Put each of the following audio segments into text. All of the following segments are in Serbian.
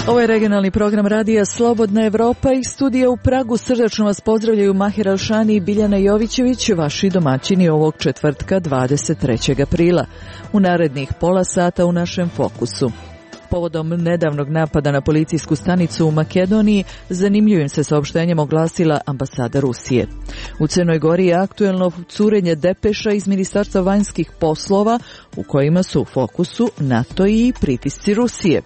Ovo je regionalni program radija Slobodna Evropa i studija u Pragu. Srdačno vas pozdravljaju Mahir Alšani i Biljana Jovićević, vaši domaćini ovog četvrtka 23. aprila. U narednih pola sata u našem fokusu. Povodom nedavnog napada na policijsku stanicu u Makedoniji, zanimljivim se saopštenjem oglasila ambasada Rusije. U Crnoj Gori je aktuelno curenje depeša iz Ministarstva vanjskih poslova, u kojima su u fokusu NATO i pritisci Rusije.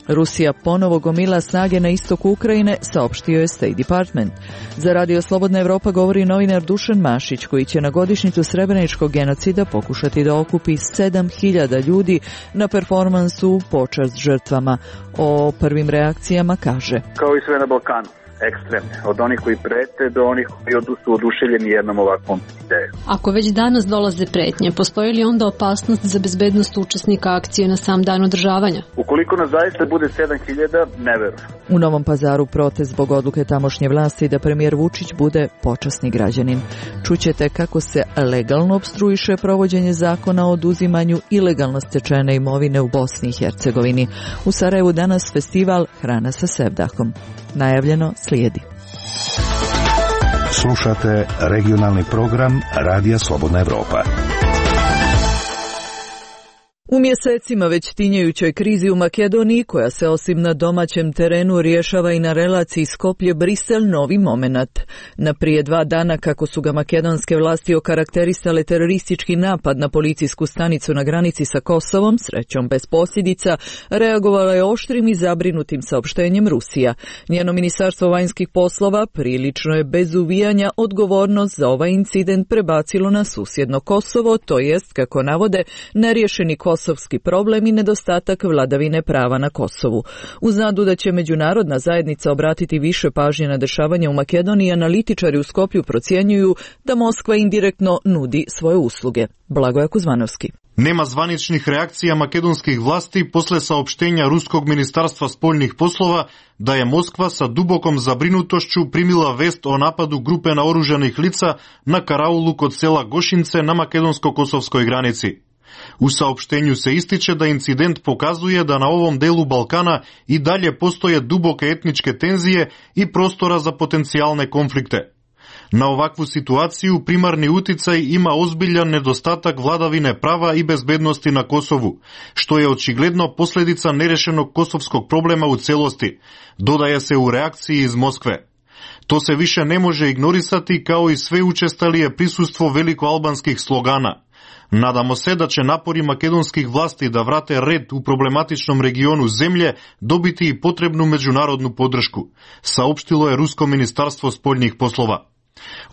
Rusija ponovo gomila snage na istoku Ukrajine, saopštio je State Department. Za Radio Slobodna Evropa govori novinar Dušan Mašić, koji će na godišnjicu Srebreničkog genocida pokušati da okupi 7.000 ljudi na performansu u počast žrtvama. O prvim reakcijama kaže: Kao i sve na Balkanu, ekstremne. Od onih koji prete do onih koji su oduševljeni jednom ovakvom idejom. Ako već danas dolaze pretnje, postoji li onda opasnost za bezbednost učesnika akcije na sam dan održavanja? Ukoliko nas zaista bude 7.000, ne verujem. U Novom Pazaru protest zbog odluke tamošnje vlasti da premijer Vučić bude počasni građanin. Čućete kako se legalno opstruiše provođenje zakona o oduzimanju ilegalno stečene imovine u Bosni i Hercegovini. U Sarajevu danas festival Hrana sa sevdahom. Najavljeno slijedi. Slušate regionalni program Radija Slobodna Evropa. U mjesecima već tinjajućoj krizi u Makedoniji, koja se osim na domaćem terenu rješava i na relaciji Skoplje-Brisel, novi momenat. Na prije 2 dana, kako su ga makedonske vlasti okarakterisale teroristički napad na policijsku stanicu na granici sa Kosovom, srećom bez posljedica, reagovala je oštrim i zabrinutim saopštenjem Rusija. Njeno ministarstvo vanjskih poslova prilično je bez uvijanja odgovornost za ovaj incident prebacilo na susjedno Kosovo, to jest, kako navode, neriješeni kosovski problem i nedostatak vladavine prava na Kosovu. Uz nadu da će međunarodna zajednica obratiti više pažnje na dešavanje u Makedoniji, analitičari u Skoplju procjenjuju da Moskva indirektno nudi svoje usluge. Blagoje Kuzmanovski. Nema zvaničnih reakcija makedonskih vlasti posle saopštenja Ruskog ministarstva spoljnih poslova da je Moskva sa dubokom zabrinutošću primila vest o napadu grupe naoružanih lica na karaulu kod sela Gošince na makedonsko-kosovskoj granici. U saopštenju se ističe da incident pokazuje da na ovom delu Balkana i dalje postoje duboke etničke tenzije i prostora za potencijalne konflikte. Na ovakvu situaciju primarni uticaj ima ozbiljan nedostatak vladavine prava i bezbednosti na Kosovu, što je očigledno posljedica nerešenog kosovskog problema u celosti, dodaje se u reakciji iz Moskve. To se više ne može ignorisati, kao i sve učestalije prisustvo velikoalbanskih slogana. Nadamo se da će napori makedonskih vlasti da vrate red u problematičnom regionu zemlje dobiti i potrebnu međunarodnu podršku, saopštilo je Rusko ministarstvo spoljnih poslova.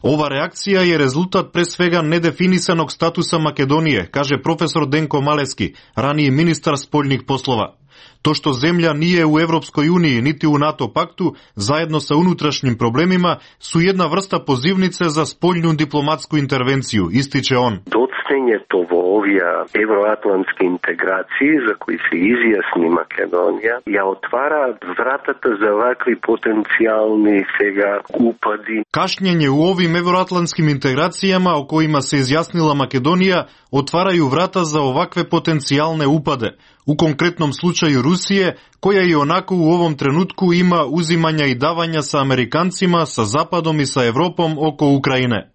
Ova reakcija je rezultat pre svega nedefinisanog statusa Makedonije, kaže profesor Denko Maleski, raniji ministar spoljnih poslova. To što zemlja nije u Evropskoj uniji niti u NATO paktu, zajedno sa unutrašnjim problemima, su jedna vrsta pozivnice za spoljnu diplomatsku intervenciju, ističe on. Docnjenje tovovija evroatlantske integracije za koji se izjasni Makedonija, ja otvara vratata za ovakvi potencijalni svega upadi. Kašnjenje u ovim evroatlantskim integracijama o kojima se izjasnila Makedonija otvaraju vrata za ovakve potencijalne upade, u konkretnom slučaju Rusije, koja i onako u ovom trenutku ima uzimanja i davanja sa Amerikancima, sa Zapadom i sa Evropom oko Ukrajine.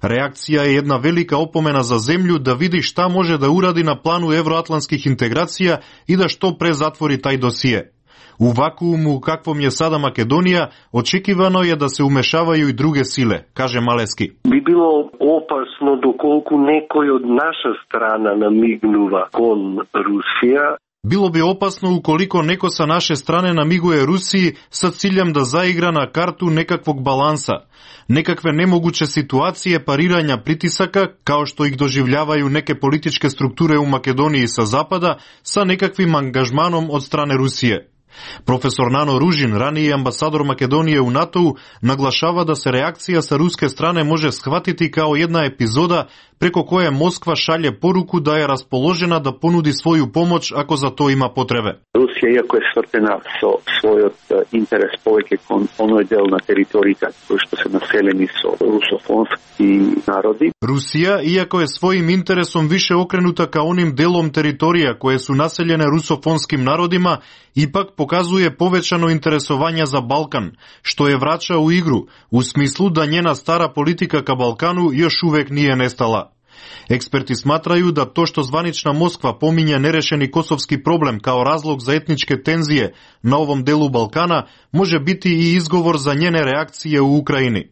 Reakcija je jedna velika opomena za zemlju da vidi šta može da uradi na planu evroatlantskih integracija i da što pre zatvori taj dosije. U vakuumu u kakvom je sada Makedonija, očekivano je da se umešavaju i druge sile, kaže Maleski. Bi bilo opasno dokoliko nekoj od naša strana namignuva kon Rusija. Bilo bi opasno ukoliko neko sa naše strane namiguje Rusiji sa ciljem da zaigra na kartu nekakvog balansa, nekakve nemoguće situacije pariranja pritisaka, kao što ih doživljavaju neke političke strukture u Makedoniji sa zapada, sa nekakvim angažmanom od strane Rusije. Profesor Nano Ružin, raniji ambasador Makedonije u NATO-u, naglašava da se reakcija sa ruske strane može shvatiti kao jedna epizoda preko koje Moskva šalje poruku da je raspoložena da ponudi svoju pomoć ako za to ima potrebe. Rusija, iako je svrtena svoj interes povijek, ono je del na teritoriji koji što se naseljeni su rusofonski narodi. Rusija, iako je svojim interesom više okrenuta ka onim delom teritorija koje su naseljene rusofonskim narodima, ipak pokazuje povećano interesovanje za Balkan, što je vraća u igru, u smislu da njena stara politika ka Balkanu još uvek nije nestala. Eksperti smatraju da to što zvanična Moskva pominje nerešeni kosovski problem kao razlog za etničke tenzije na ovom delu Balkana može biti i izgovor za njene reakcije u Ukrajini.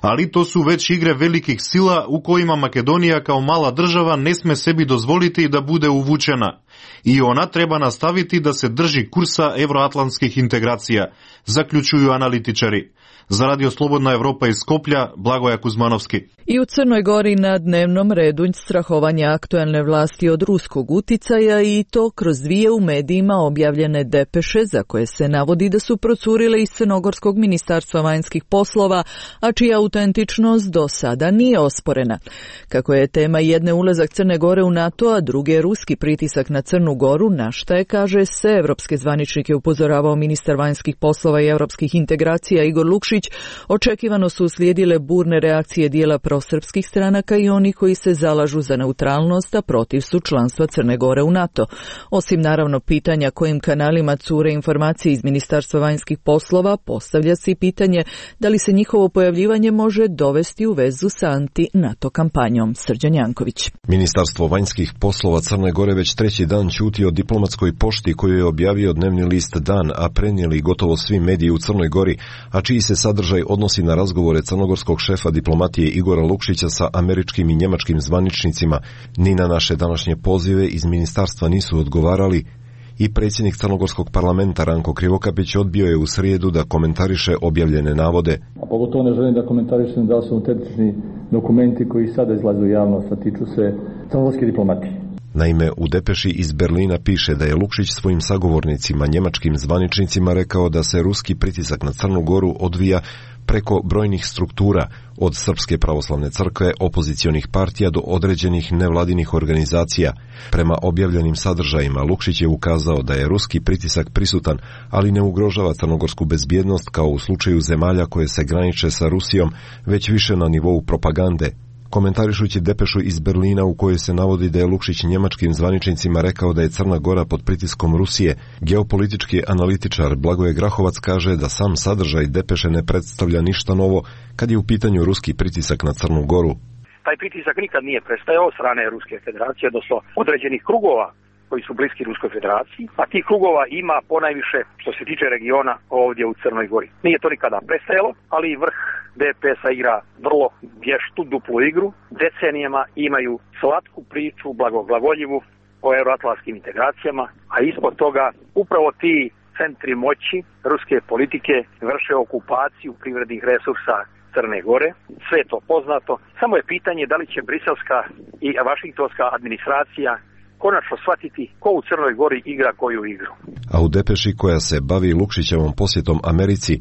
Ali to su već igre velikih sila u kojima Makedonija kao mala država ne sme sebi dozvoliti da bude uvučena. I ona treba nastaviti da se drži kursa evroatlantskih integracija, zaključuju analitičari. Za Radio Slobodna Evropa iz Skoplja, Blagoja Kuzmanovski. I u Crnoj Gori na dnevnom redu strahovanja aktuelne vlasti od ruskog uticaja i to kroz dvije u medijima objavljene depeše za koje se navodi da su procurile iz Crnogorskog ministarstva vanjskih poslova, a čija autentičnost do sada nije osporena. Kako je tema jedne ulazak Crne Gore u NATO, a druge ruski pritisak na Crnu Goru, na šta je, kaže, sve evropske zvaničnike upozoravao ministar vanjskih poslova i evropskih integracija Igor Lukšić, očekivano su uslijedile burne reakcije dijela prosrpskih stranaka i oni koji se zalažu za neutralnost, a protiv su članstva Crne Gore u NATO. Osim naravno pitanja kojim kanalima cure informacije iz Ministarstva vanjskih poslova, postavlja se i pitanje da li se njihovo pojavljivanje može dovesti u vezu sa anti-NATO kampanjom. Srđan Janković. Ministarstvo vanjskih poslova Crne Gore već treći dan ćuti o diplomatskoj pošti koju je objavio dnevni list Dan, a prenijeli gotovo svi mediji u Crnoj Gori, a čiji se sadržaj odnosi na razgovore crnogorskog šefa diplomatije Igora Lukšića sa američkim i njemačkim zvaničnicima. Ni na naše današnje pozive iz ministarstva nisu odgovarali i predsjednik crnogorskog parlamenta Ranko Krivokapić odbio je u srijedu da komentariše objavljene navode. A pogotovo ne želim da komentarišem da su autentični dokumenti koji sada izlaze u javnost, a tiču se crnogorske diplomatije. Naime, u depeši iz Berlina piše da je Lukšić svojim sagovornicima, njemačkim zvaničnicima, rekao da se ruski pritisak na Crnu Goru odvija preko brojnih struktura, od Srpske pravoslavne crkve, opozicionih partija do određenih nevladinih organizacija. Prema objavljenim sadržajima, Lukšić je ukazao da je ruski pritisak prisutan, ali ne ugrožava crnogorsku bezbjednost kao u slučaju zemalja koje se graniče sa Rusijom, već više na nivou propagande. Komentarišući depešu iz Berlina u kojoj se navodi da je Lukšić njemačkim zvaničnicima rekao da je Crna Gora pod pritiskom Rusije, geopolitički analitičar Blagoje Grahovac kaže da sam sadržaj depeše ne predstavlja ništa novo kad je u pitanju ruski pritisak na Crnu Goru. Taj pritisak nikad nije prestajao od strane Ruske federacije, odnosno određenih krugova koji su bliski Ruskoj federaciji, a tih krugova ima ponajviše što se tiče regiona ovdje u Crnoj Gori. Nije to nikada prestajalo, ali i vrh DPS-a igra vrlo vještu, duplu igru. Decenijama imaju slatku priču, blagoglagoljivu o euroatlantskim integracijama, a ispod toga upravo ti centri moći ruske politike vrše okupaciju privrednih resursa Crne Gore. Sve je to poznato. Samo je pitanje da li će briselska i vašingtonska administracija konačno shvatiti ko u Crnoj Gori igra koju igru. A u depeši koja se bavi Lukšićevom posjetom Americi,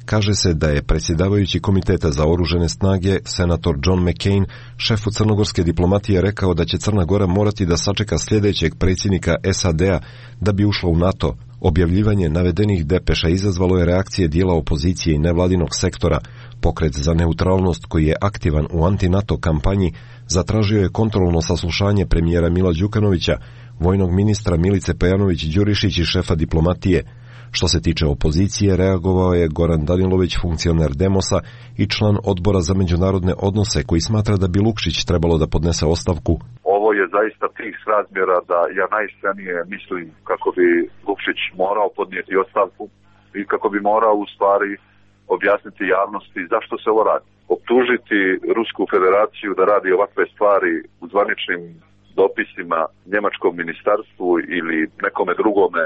kaže se da je predsjedavajući Komiteta za oružane snage, senator John McCain, šefu crnogorske diplomatije rekao da će Crna Gora morati da sačeka sljedećeg predsjednika SAD-a da bi ušla u NATO. Objavljivanje navedenih depeša izazvalo je reakcije dijela opozicije i nevladinog sektora. Pokret za neutralnost, koji je aktivan u anti-NATO kampanji, zatražio je kontrolno saslušanje premijera Mila Đukanovića, vojnog ministra Milice Pejanović-Đurišić i šefa diplomatije. Što se tiče opozicije, reagovao je Goran Danilović, funkcioner Demosa i član odbora za međunarodne odnose, koji smatra da bi Lukšić trebalo da podnese ostavku. Ovo je zaista tih razmjera da ja najiskrenije mislim kako bi Lukšić morao podnijeti ostavku i kako bi morao u stvari objasniti javnosti zašto se ovo radi. Optužiti Rusku federaciju da radi ovakve stvari u zvaničnim dopisima njemačkom ministarstvu ili nekome drugome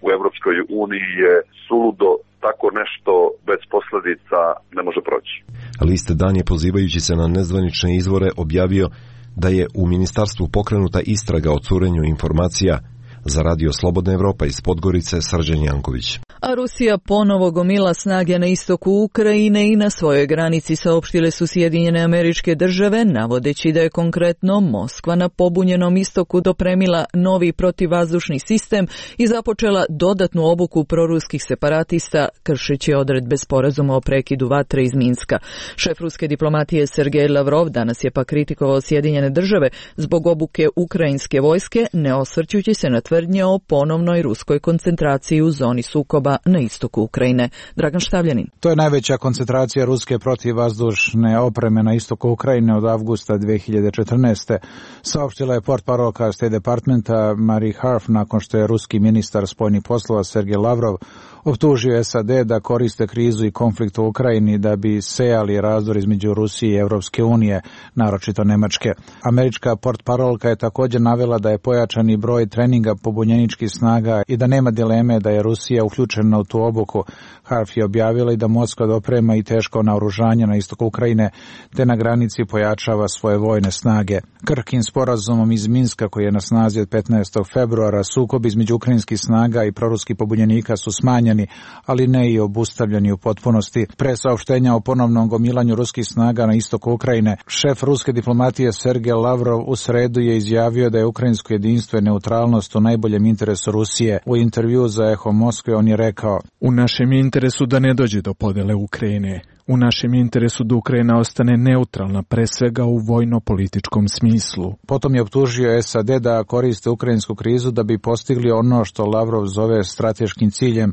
u Evropskoj uniji je suludo, tako nešto bez posljedica ne može proći. List Dan je, pozivajući se na nezvanične izvore, objavio da je u ministarstvu pokrenuta istraga o curenju informacija. Za Radio Slobodna Evropa iz Podgorice, Srđan Janković. A Rusija ponovo gomila snage na istoku Ukrajine i na svojoj granici, saopštile su Sjedinjene Američke Države, navodeći da je konkretno Moskva na pobunjenom istoku dopremila novi protivvazdušni sistem i započela dodatnu obuku proruskih separatista, kršeći odredbe sporazuma o prekidu vatre iz Minska. Šef ruske diplomatije Sergej Lavrov danas je pa kritikovao Sjedinjene Države zbog obuke ukrajinske vojske, ne osvrćući se na tvrdnje o ponovnoj ruskoj koncentraciji u zoni sukoba na istoku Ukrajine. Dragan Štavljanin. To je najveća koncentracija ruske protivvazdušne opreme na istoku Ukrajine od avgusta 2014. Saopštila je portparolka State Departmenta Marie Harf nakon što je ruski ministar spoljnih poslova Sergej Lavrov optužio SAD da koriste krizu i konflikt u Ukrajini da bi sejali razdor između Rusije i Evropske unije, naročito Nemačke. Američka portparolka je također navela da je pojačani broj treninga pobunjeničkih snaga i da nema dileme da je Rusija uključena u tu obuku. Harf je objavila i da Moskva doprema i teško naoružanje na istoku Ukrajine, te na granici pojačava svoje vojne snage. Krhkim sporazumom iz Minska, koji je na snazi od 15. februara, sukob između ukrajinskih snaga i proruskih pobunjenika su smanjeni, ali ne i obustavljeni u potpunosti. Pre saopštenja o ponovnom gomilanju ruskih snaga na istoku Ukrajine, šef ruske diplomatije Sergej Lavrov u sredu je izjavio da je ukrajinsko jedinstvo i neutralnost u najboljem interesu Rusije. U intervju za Eho Moskve on je rekao: "U našem interesu da ne dođe do podele Ukrajine. U našem interesu da Ukrajina ostane neutralna, pre svega u vojno-političkom smislu." Potom je optužio SAD da koriste ukrajinsku krizu da bi postigli ono što Lavrov zove strateškim ciljem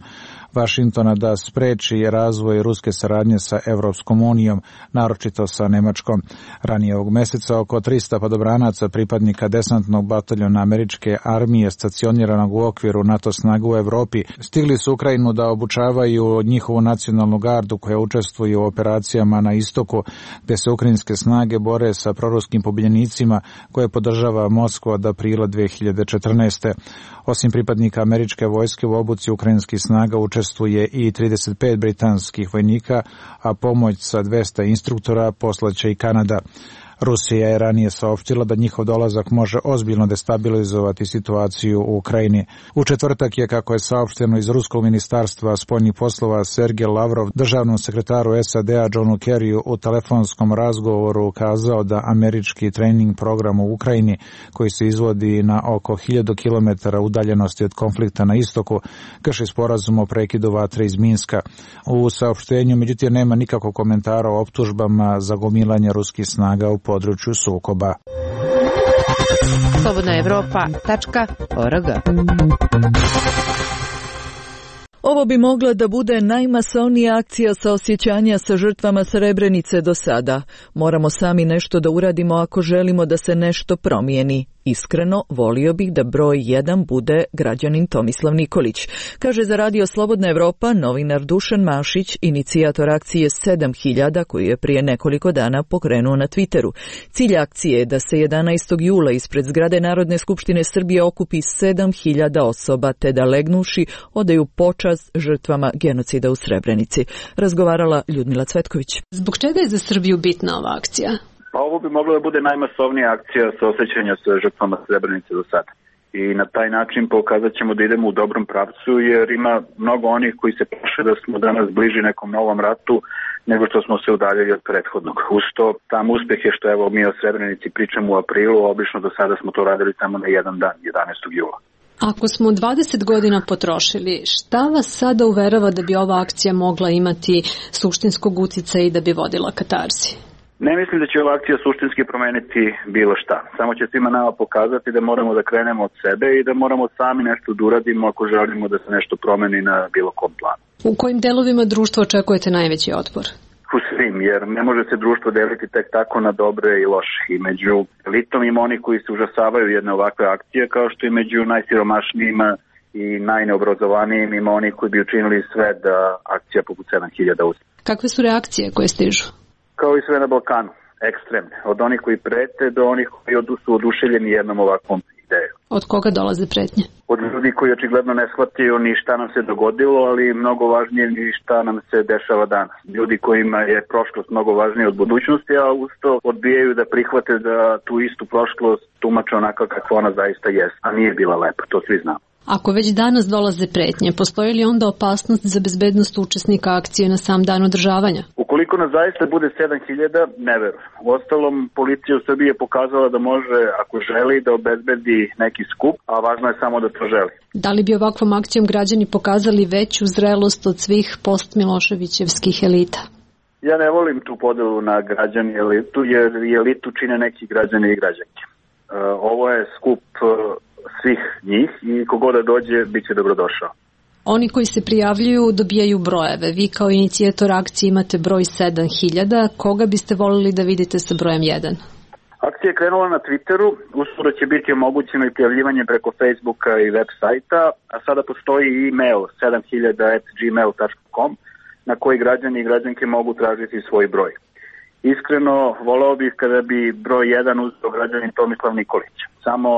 Vašingtona da spreči razvoj ruske saradnje sa Evropskom unijom, naročito sa Nemačkom. Ranije ovog meseca oko 300 padobranaca pripadnika desantnog bataljona američke armije stacioniranog u okviru NATO snaga u Evropi stigli su Ukrajinu da obučavaju njihovu nacionalnu gardu koja učestvuje u operacijama na istoku, gde se ukrajinske snage bore sa proruskim pobunjenicima koje podržava Moskva od aprila 2014. Osim pripadnika američke vojske u obuci ukrajinskih snaga učestvuje i 35 britanskih vojnika, a pomoć sa 200 instruktora poslaće i Kanada. Rusija je ranije saopštila da njihov dolazak može ozbiljno destabilizovati situaciju u Ukrajini. U četvrtak je, kako je saopšteno iz Ruskog ministarstva spoljnih poslova, Sergej Lavrov državnom sekretaru SAD-a Johnu Kerryu u telefonskom razgovoru ukazao da američki trening program u Ukrajini, koji se izvodi na oko 1000 km udaljenosti od konflikta na istoku, krši sporazum o prekidu vatre iz Minska. U saopštenju, međutim, nema nikakvog komentara o optužbama za gomilanje ruskih snaga u području sukoba. Slobodnaevropa.org. Ovo bi mogla da bude najmasovnija akcija saosjećanja sa žrtvama Srebrenice do sada. Moramo sami nešto da uradimo ako želimo da se nešto promijeni. Iskreno, volio bih da broj 1 bude građanin Tomislav Nikolić, kaže za Radio Slobodna Evropa novinar Dušan Mašić, inicijator akcije 7000 koju je prije nekoliko dana pokrenuo na Twitteru. Cilj akcije je da se 11. jula ispred zgrade Narodne skupštine Srbije okupi 7000 osoba, te da legnuši odaju počast žrtvama genocida u Srebrenici. Razgovarala Ljudmila Cvetković. Zbog čega je za Srbiju bitna ova akcija? Pa ovo bi mogla da bude najmasovnija akcija saosećanja sa žrtvama Srebrenice do sada. I na taj način pokazat ćemo da idemo u dobrom pravcu, jer ima mnogo onih koji se plaše da smo danas bliži nekom novom ratu nego što smo se udaljili od prethodnog. Uz to, tam uspeh je što evo mi o Srebrenici pričamo u aprilu, obično do sada smo to radili samo na jedan dan, 11. jula. Ako smo 20 godina potrošili, šta vas sada uverava da bi ova akcija mogla imati suštinskog uticaja i da bi vodila katarzi? Ne mislim da će ova akcija suštinski promeniti bilo šta. Samo će svima nama pokazati da moramo da krenemo od sebe i da moramo sami nešto da uradimo ako želimo da se nešto promeni na bilo kom planu. U kojim delovima društva očekujete najveći otpor? U svim, jer ne može se društvo deliti tek tako na dobre i loše. I među elitom ima oni koji se užasavaju jedne ovakve akcije, kao što i među najsiromašnijima i najneobrazovanijim ima oni koji bi učinili sve da akcija poput 7000 uspije. Kakve su reakcije koje stižu? Kao i sve na Balkanu, ekstremne. Od onih koji prete do onih koji su oduševljeni jednom ovakvom idejom. Od koga dolaze pretnje? Od ljudi koji očigledno ne shvataju ni šta nam se dogodilo, ali mnogo važnije ni šta nam se dešava danas. Ljudi kojima je prošlost mnogo važnija od budućnosti, a uz to odbijaju da prihvate da tu istu prošlost tumače onako kakva ona zaista jest, a nije bila lepa, to svi znamo. Ako već danas dolaze pretnje, postoji li onda opasnost za bezbednost učesnika akcije na sam dan održavanja? Ukoliko nas zaista bude 7000, ne verujem. Uostalom, policija u Srbiji je pokazala da može, ako želi, da obezbedi neki skup, a važno je samo da to želi. Da li bi ovakvom akcijom građani pokazali veću zrelost od svih post-Miloševićevskih elita? Ja ne volim tu podelu na građani i elitu, jer elitu čine neki građani i građanke. Ovo je skup svih njih i kogoda da dođe, bit će dobrodošao. Oni koji se prijavljuju dobijaju brojeve. Vi kao inicijator akcije imate broj 7000. Koga biste volili da vidite sa brojem 1? Akcija je krenula na Twitteru, uskoro će biti omogućeno i prijavljivanje preko Facebooka i web sajta, a sada postoji i e-mail 7000@gmail.com na koji građani i građanke mogu tražiti svoj broj. Iskreno, voleo bih kada bi broj 1 uzeo građanin Tomislav Nikolić. Samo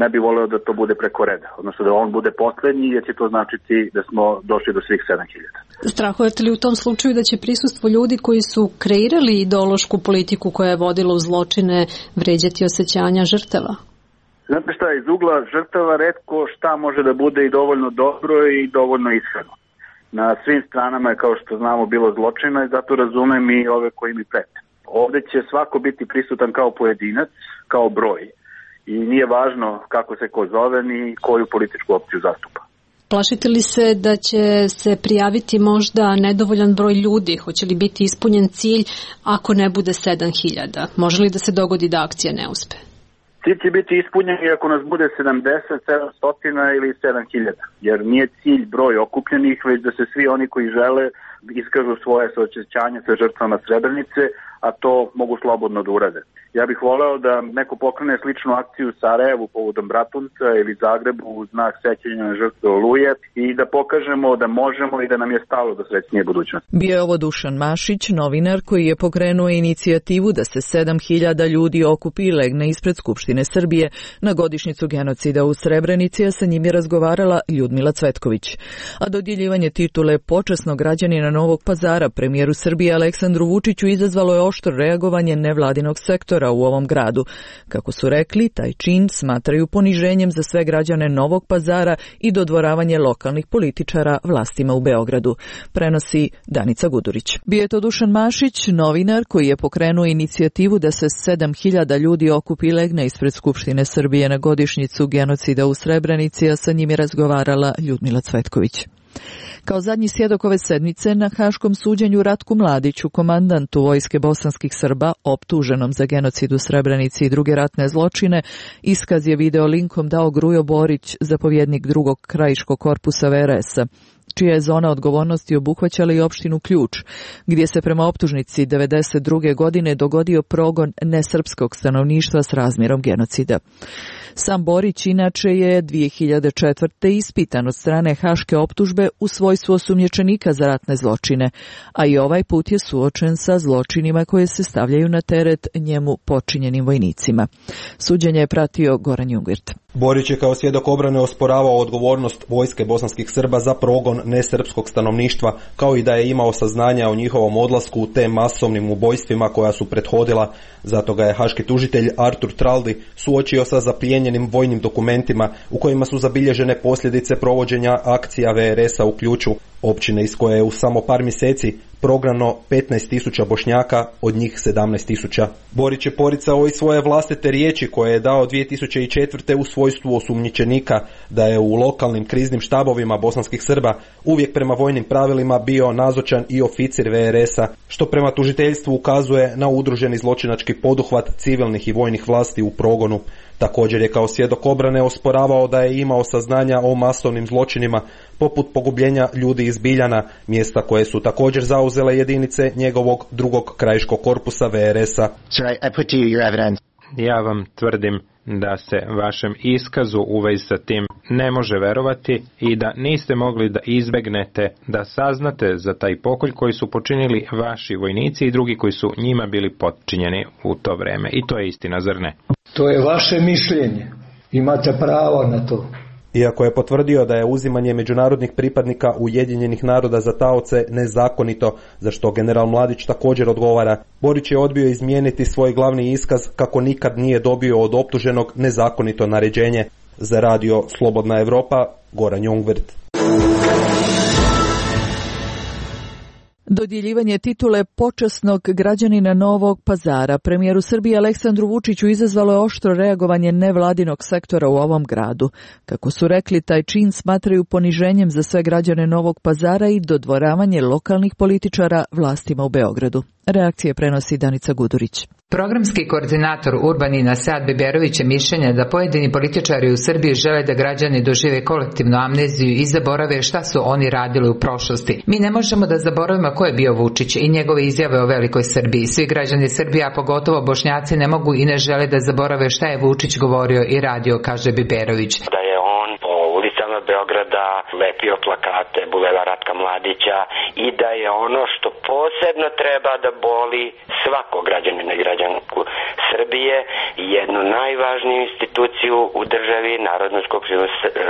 ne bi voleo da to bude preko reda, odnosno da on bude poslednji, jer će to značiti da smo došli do svih 7000. Strahujete li u tom slučaju da će prisustvo ljudi koji su kreirali ideološku politiku koja je vodila u zločine vređati osjećanja žrtava? Znate šta, iz ugla žrtava retko šta može da bude i dovoljno dobro i dovoljno ishrano. Na svim stranama je, kao što znamo, bilo zločina i zato razumem i ove koji mi prete. Ovde će svako biti prisutan kao pojedinac, kao broj. I nije važno kako se ko zove ni koju političku opciju zastupa. Plašite li se da će se prijaviti možda nedovoljan broj ljudi? Hoće li biti ispunjen cilj ako ne bude 7000? Može li da se dogodi da akcija ne uspe? Cilj će biti ispunjen i ako nas bude 70, 700 ili 7000, jer nije cilj broj okupljenih, već da se svi oni koji žele iskažu svoje suosjećanje sa žrtvama Srebrenice, a to mogu slobodno da urade. Ja bih voleo da neko pokrene sličnu akciju u Sarajevu povodom Bratunca ili Zagrebu u znak sećanja na žrtve Oluje i da pokažemo da možemo i da nam je stalo do srećnije budućnosti. Bio je ovo Dušan Mašić, novinar koji je pokrenuo inicijativu da se 7000 ljudi okupi i legne ispred Skupštine Srbije na godišnjicu genocida u Srebrenici, a sa njim je razgovarala Ljudmila Cvetković. A dodjeljivanje titule počasnog građanina Novog Pazara premijeru Srbije Aleksandru Vučiću izazvalo je oštro reagovanje nevladinog sektora u ovom gradu. Kako su rekli, taj čin smatraju poniženjem za sve građane Novog Pazara i dodvoravanje lokalnih političara vlastima u Beogradu. Prenosi Danica Gudurić. Bio je to Dušan Mašić, novinar koji je pokrenuo inicijativu da se 7000 ljudi okupi i legne ispred Skupštine Srbije na godišnjicu genocida u Srebrenici, a sa njim je razgovarala Ljudmila Cvetković. Kao zadnji svjedok ove sedmice na haškom suđenju Ratku Mladiću, komandantu vojske bosanskih Srba, optuženom za genocid u Srebrenici i druge ratne zločine, iskaz je video linkom dao Grujo Borić, zapovjednik drugog krajiškog korpusa VRS-a, čija je zona odgovornosti obuhvaćala i opštinu Ključ, gdje se prema optužnici 1992. godine dogodio progon nesrpskog stanovništva s razmjerom genocida. Sam Borić inače je 2004. ispitan od strane haške optužbe u svojstvu osumnjičenika za ratne zločine, a i ovaj put je suočen sa zločinima koje se stavljaju na teret njemu počinjenim vojnicima. Suđenje je pratio Goran Jungvirt. Borić je kao svjedok obrane osporavao odgovornost vojske bosanskih Srba za progon nesrpskog stanovništva, kao i da je imao saznanja o njihovom odlasku u te masovnim ubojstvima koja su prethodila. Zato ga je haški tužitelj Artur Traldi suočio sa zaplijenjenim vojnim dokumentima u kojima su zabilježene posljedice provođenja akcija VRS-a u Ključu, općine iz koje je u samo par mjeseci prognano 15.000 Bošnjaka, od njih 17.000. Borić je poricao i svoje vlastite riječi koje je dao 2004. u svojstvu osumnjičenika da je u lokalnim kriznim štabovima bosanskih Srba uvijek prema vojnim pravilima bio nazočan i oficir VRS-a, što prema tužiteljstvu ukazuje na udruženi zločinački poduhvat civilnih i vojnih vlasti u progonu. Također je kao svjedok obrane osporavao da je imao saznanja o masovnim zločinima poput pogubljenja ljudi iz Biljana, mjesta koje su također zauzele jedinice njegovog drugog krajiškog korpusa VRS-a. Ja vam tvrdim da se vašem iskazu u vezi sa tim ne može verovati i da niste mogli da izbegnete da saznate za taj pokolj koji su počinili vaši vojnici i drugi koji su njima bili potčinjeni u to vreme. I to je istina, zar ne? To je vaše mišljenje. Imate pravo na to. Iako je potvrdio da je uzimanje međunarodnih pripadnika Ujedinjenih naroda za taoce nezakonito, za što general Mladić također odgovara, Borić je odbio izmijeniti svoj glavni iskaz kako nikad nije dobio od optuženog nezakonito naređenje. Za radio Slobodna Evropa, Goran Jungwirth. Dodjeljivanje titule počasnog građanina Novog Pazara premijeru Srbije Aleksandru Vučiću izazvalo je oštro reagovanje nevladinog sektora u ovom gradu. Kako su rekli, taj čin smatraju poniženjem za sve građane Novog Pazara i dodvoravanje lokalnih političara vlastima u Beogradu. Reakcije prenosi Danica Gudurić. Programski koordinator Urbanina Sead Biberović je mišljenja da pojedini političari u Srbiji žele da građani dožive kolektivnu amneziju i zaborave šta su oni radili u prošlosti. Mi ne možemo da zaboravimo ko je bio Vučić i njegove izjave o velikoj Srbiji. Svi građani Srbije, a pogotovo Bošnjaci, ne mogu i ne žele da zaborave šta je Vučić govorio i radio, kaže Biberović. Da je on po ulicama Beograda lepio plakate Bulevara Ratka Mladića i da je ono što posebno treba da boli svakog građanina i građanku Srbije, jednu najvažniju instituciju u državi, Narodnu skupštinu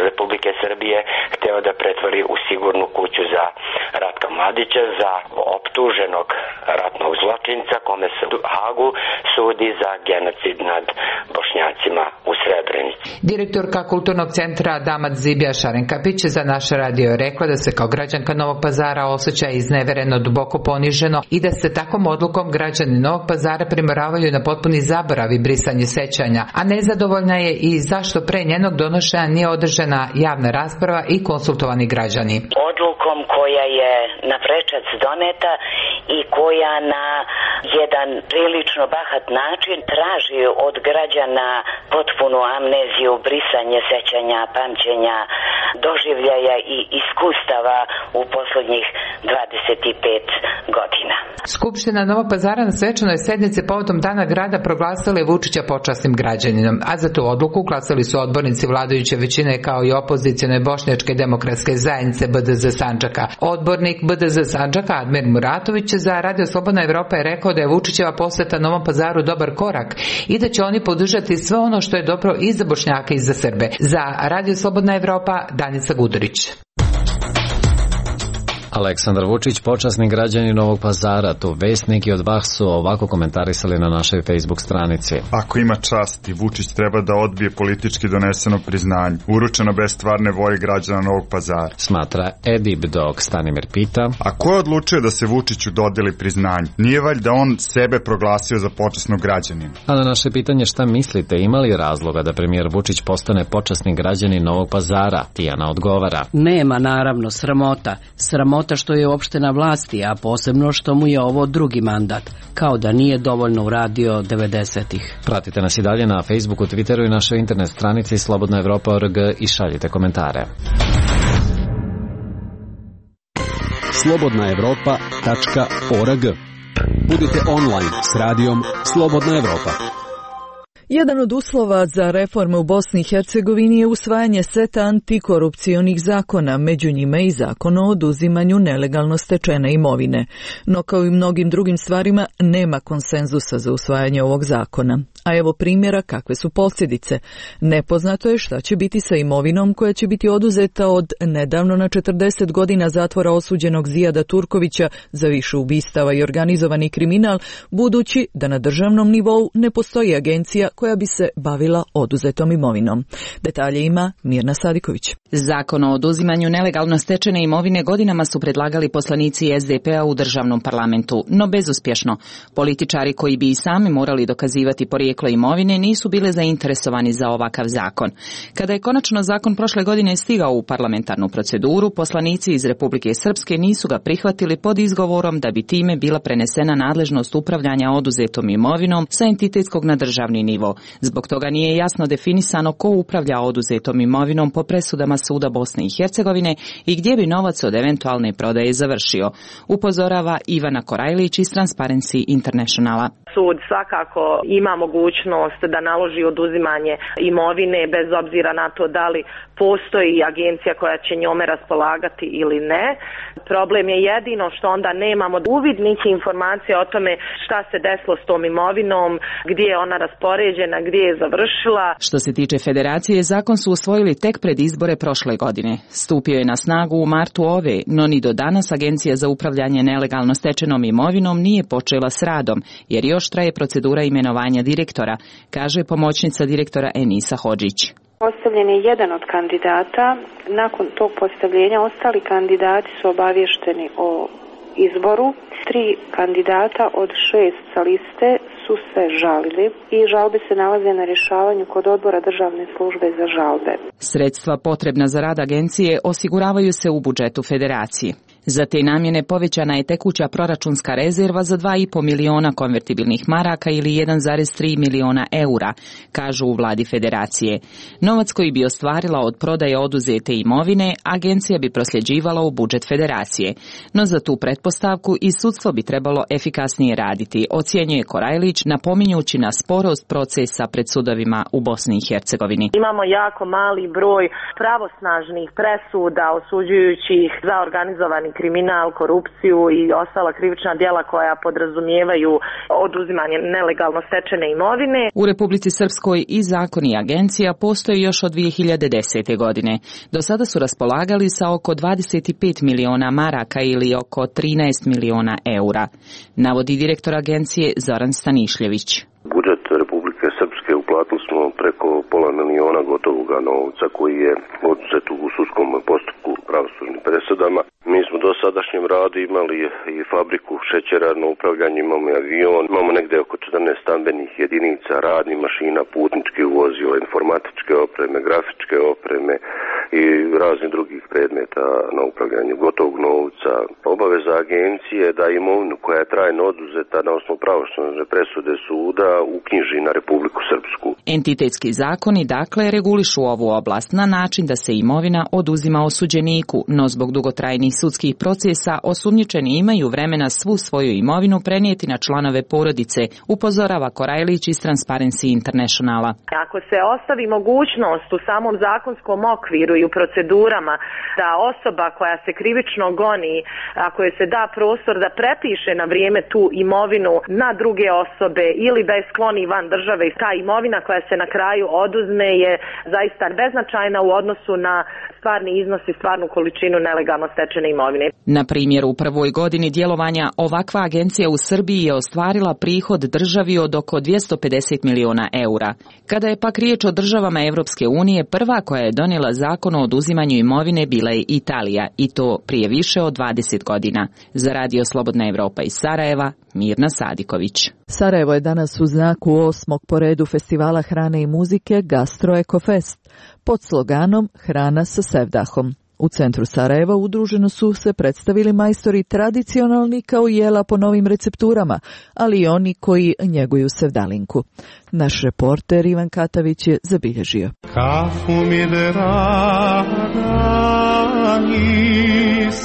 Republike Srbije, hteo da pretvori u sigurnu kuću za Ratka Mladića, za optuženog ratnog zločinca kome se u Hagu sudi za genocid nad Bošnjacima u Srebrenici. Direktorka Kulturnog centra Damat Zibija Šarenkapić za naš radio je rekla da se kao građanka Novog Pazara osjeća iznevereno, duboko poniženo i da se takvom odlukom građani Novog Pazara primoravaju na potpuni zaborav i brisanje sećanja, a nezadovoljna je i zašto pre njenog donošenja nije održana javna rasprava i konsultovani građani. Odlukom koja je na prečac doneta i koja na jedan prilično bahat način traži od građana potpunu amneziju, brisanje sećanja, pamćenja, doživljaja i iskustava u poslednjih 25 godina. Skupština Novog Pazara na svečanoj sednici povodom Dana grada proglasila je Vučića počasnim građaninom, a za tu odluku glasali su odbornici vladajuće većine kao i opozicione Bošnjačke demokratske zajednice BDZ Sandžaka. Odbornik BDZ Sandžaka Admir Muratović za Radio Slobodna Evropa je rekao da je Vučićeva poseta Novom Pazaru dobar korak i da će oni podržati sve ono što je dobro i za Bošnjake i za Srbe. Za Radio Slobodna Evropa, Danica Gudurić. Aleksandar Vučić, počasni građanin Novog Pazara, to vest neki od vas su ovako komentarisali na našoj Facebook stranici. Ako ima časti, Vučić treba da odbije politički doneseno priznanje, uručeno bez stvarne volje građana Novog Pazara. Smatra Edib, dok Stanimir pita: a ko je odlučio da se Vučiću dodeli priznanje? Nije valjda on sebe proglasio za počasnog građanina? A na naše pitanje šta mislite, ima li razloga da premijer Vučić postane počasni građanin Novog Pazara, Tijana odgovara: nema, naravno, sramota što je uopšte na vlasti, a posebno što mu je ovo drugi mandat, kao da nije dovoljno uradio 90-ih. Pratite nas i dalje na Facebooku, Twitteru i našoj internet stranici slobodnaevropa.org i šaljite komentare. slobodnaevropa.org. Budite online s radijom Slobodna Evropa. Jedan od uslova za reforme u Bosni i Hercegovini je usvajanje seta antikorupcionih zakona, među njima i zakon o oduzimanju nelegalno stečene imovine. No kao i mnogim drugim stvarima nema konsenzusa za usvajanje ovog zakona. A evo primjera kakve su posljedice. Nepoznato je šta će biti sa imovinom koja će biti oduzeta od nedavno na 40 godina zatvora osuđenog Zijada Turkovića za više ubistava i organizovani kriminal, budući da na državnom nivou ne postoji agencija koja bi se bavila oduzetom imovinom. Detalje ima Mirna Sadiković. Zakon o oduzimanju nelegalno stečene imovine godinama su predlagali poslanici SDP-a u državnom parlamentu, no bezuspješno. Političari koji bi i sami morali dokazivati porijeklo imovine nisu bile zainteresovani za ovakav zakon. Kada je konačno zakon prošle godine stigao u parlamentarnu proceduru, poslanici iz Republike Srpske nisu ga prihvatili pod izgovorom da bi time bila prenesena nadležnost upravljanja oduzetom imovinom sa entitetskog na državni nivo. Zbog toga nije jasno definisano ko upravlja oduzetom imovinom po presudama Suda Bosne i Hercegovine i gdje bi novac od eventualne prodaje završio, upozorava Ivana Korajlić iz Transparency Internationala. Sud svakako ima mogućnost da naloži oduzimanje imovine bez obzira na to da li postoji agencija koja će njome raspolagati ili ne. Problem je jedino što onda nemamo uvid niti informacije o tome šta se desilo s tom imovinom, gdje je ona raspoređena, gdje je završila. Što se tiče federacije, zakon su usvojili tek pred izbore prošle godine. Stupio je na snagu u martu ove, no ni do danas Agencija za upravljanje nelegalno stečenom imovinom nije počela s radom, jer još traje procedura imenovanja direktora, kaže pomoćnica direktora Enisa Hodžić. Postavljen je jedan od kandidata. Nakon tog postavljenja ostali kandidati su obavješteni o izboru. 3 kandidata od 6 sa liste su se žalili i žalbe se nalaze na rješavanju kod odbora državne službe za žalbe. Sredstva potrebna za rad agencije osiguravaju se u budžetu federacije. Za te namjene povećana je tekuća proračunska rezerva za 2,5 miliona konvertibilnih maraka ili 1,3 miliona eura, kažu u vladi federacije. Novac koji bi ostvarila od prodaje oduzete imovine, agencija bi prosljeđivala u budžet federacije. No za tu pretpostavku i sudstvo bi trebalo efikasnije raditi, ocjenjuje Korajlić, napominjući na sporost procesa pred sudovima u Bosni i Hercegovini. Imamo jako mali broj pravosnažnih presuda osuđujućih za organizovani kriminal, korupciju i ostala krivična djela koja podrazumijevaju oduzimanje nelegalno stečene imovine. U Republici Srpskoj i zakon i agencija postoji još od 2010. godine. Do sada su raspolagali sa oko 25 miliona maraka ili oko 13 miliona eura, navodi direktor agencije Zoran Stanišljević. Budžet Republike Srpske uplatili smo preko pola miliona gotovoga novca koji je oduzet u sudskom postupku pravosudnim presudama. Mi smo do sadašnjem radu imali i fabriku šećera na upravljanje, imamo i avion, imamo negdje oko 14 stambenih jedinica, radnih mašina, putničkih vozila, informatičke opreme, grafičke opreme i raznih drugih predmeta na upravljanje gotovog novca. Obaveza agencije da imovinu koja je trajno oduzeta na osnovu pravosudne presude suda uknjiži na Republiku Srpsku. Entitetski zakoni dakle regulišu ovu oblast na način da se imovina oduzima osuđeniku, no zbog dugotrajnih sudskih procesa osumnjičeni imaju vremena svu svoju imovinu prenijeti na članove porodice, upozorava Korajlić iz Transparency Internationala. Ako se ostavi mogućnost u samom zakonskom okviru i u procedurama da osoba koja se krivično goni, ako joj se da prostor da prepiše na vrijeme tu imovinu na druge osobe ili da je skloni van države, i ta imovina koja se na kraju oduzme je zaista beznačajna u odnosu na stvarni iznos i stvarnu količinu nelegalno stečene imovine. Na primjer, u prvoj godini djelovanja ovakva agencija u Srbiji je ostvarila prihod državi od oko 250 miliona eura. Kada je pak riječ o državama Evropske unije, prva koja je donijela zakon o oduzimanju imovine bila je Italija, i to prije više od 20 godina. Za Radio Slobodna Evropa iz Sarajeva, Mirna Sadiković. Sarajevo je danas u znaku 8. po redu festivala hrane i muzike Gastro Eko Fest pod sloganom Hrana sa sevdahom. U centru Sarajeva udruženo su se predstavili majstori tradicionalni kao jela po novim recepturama, ali i oni koji njeguju sevdalinku. Naš reporter Ivan Katavić je zabilježio.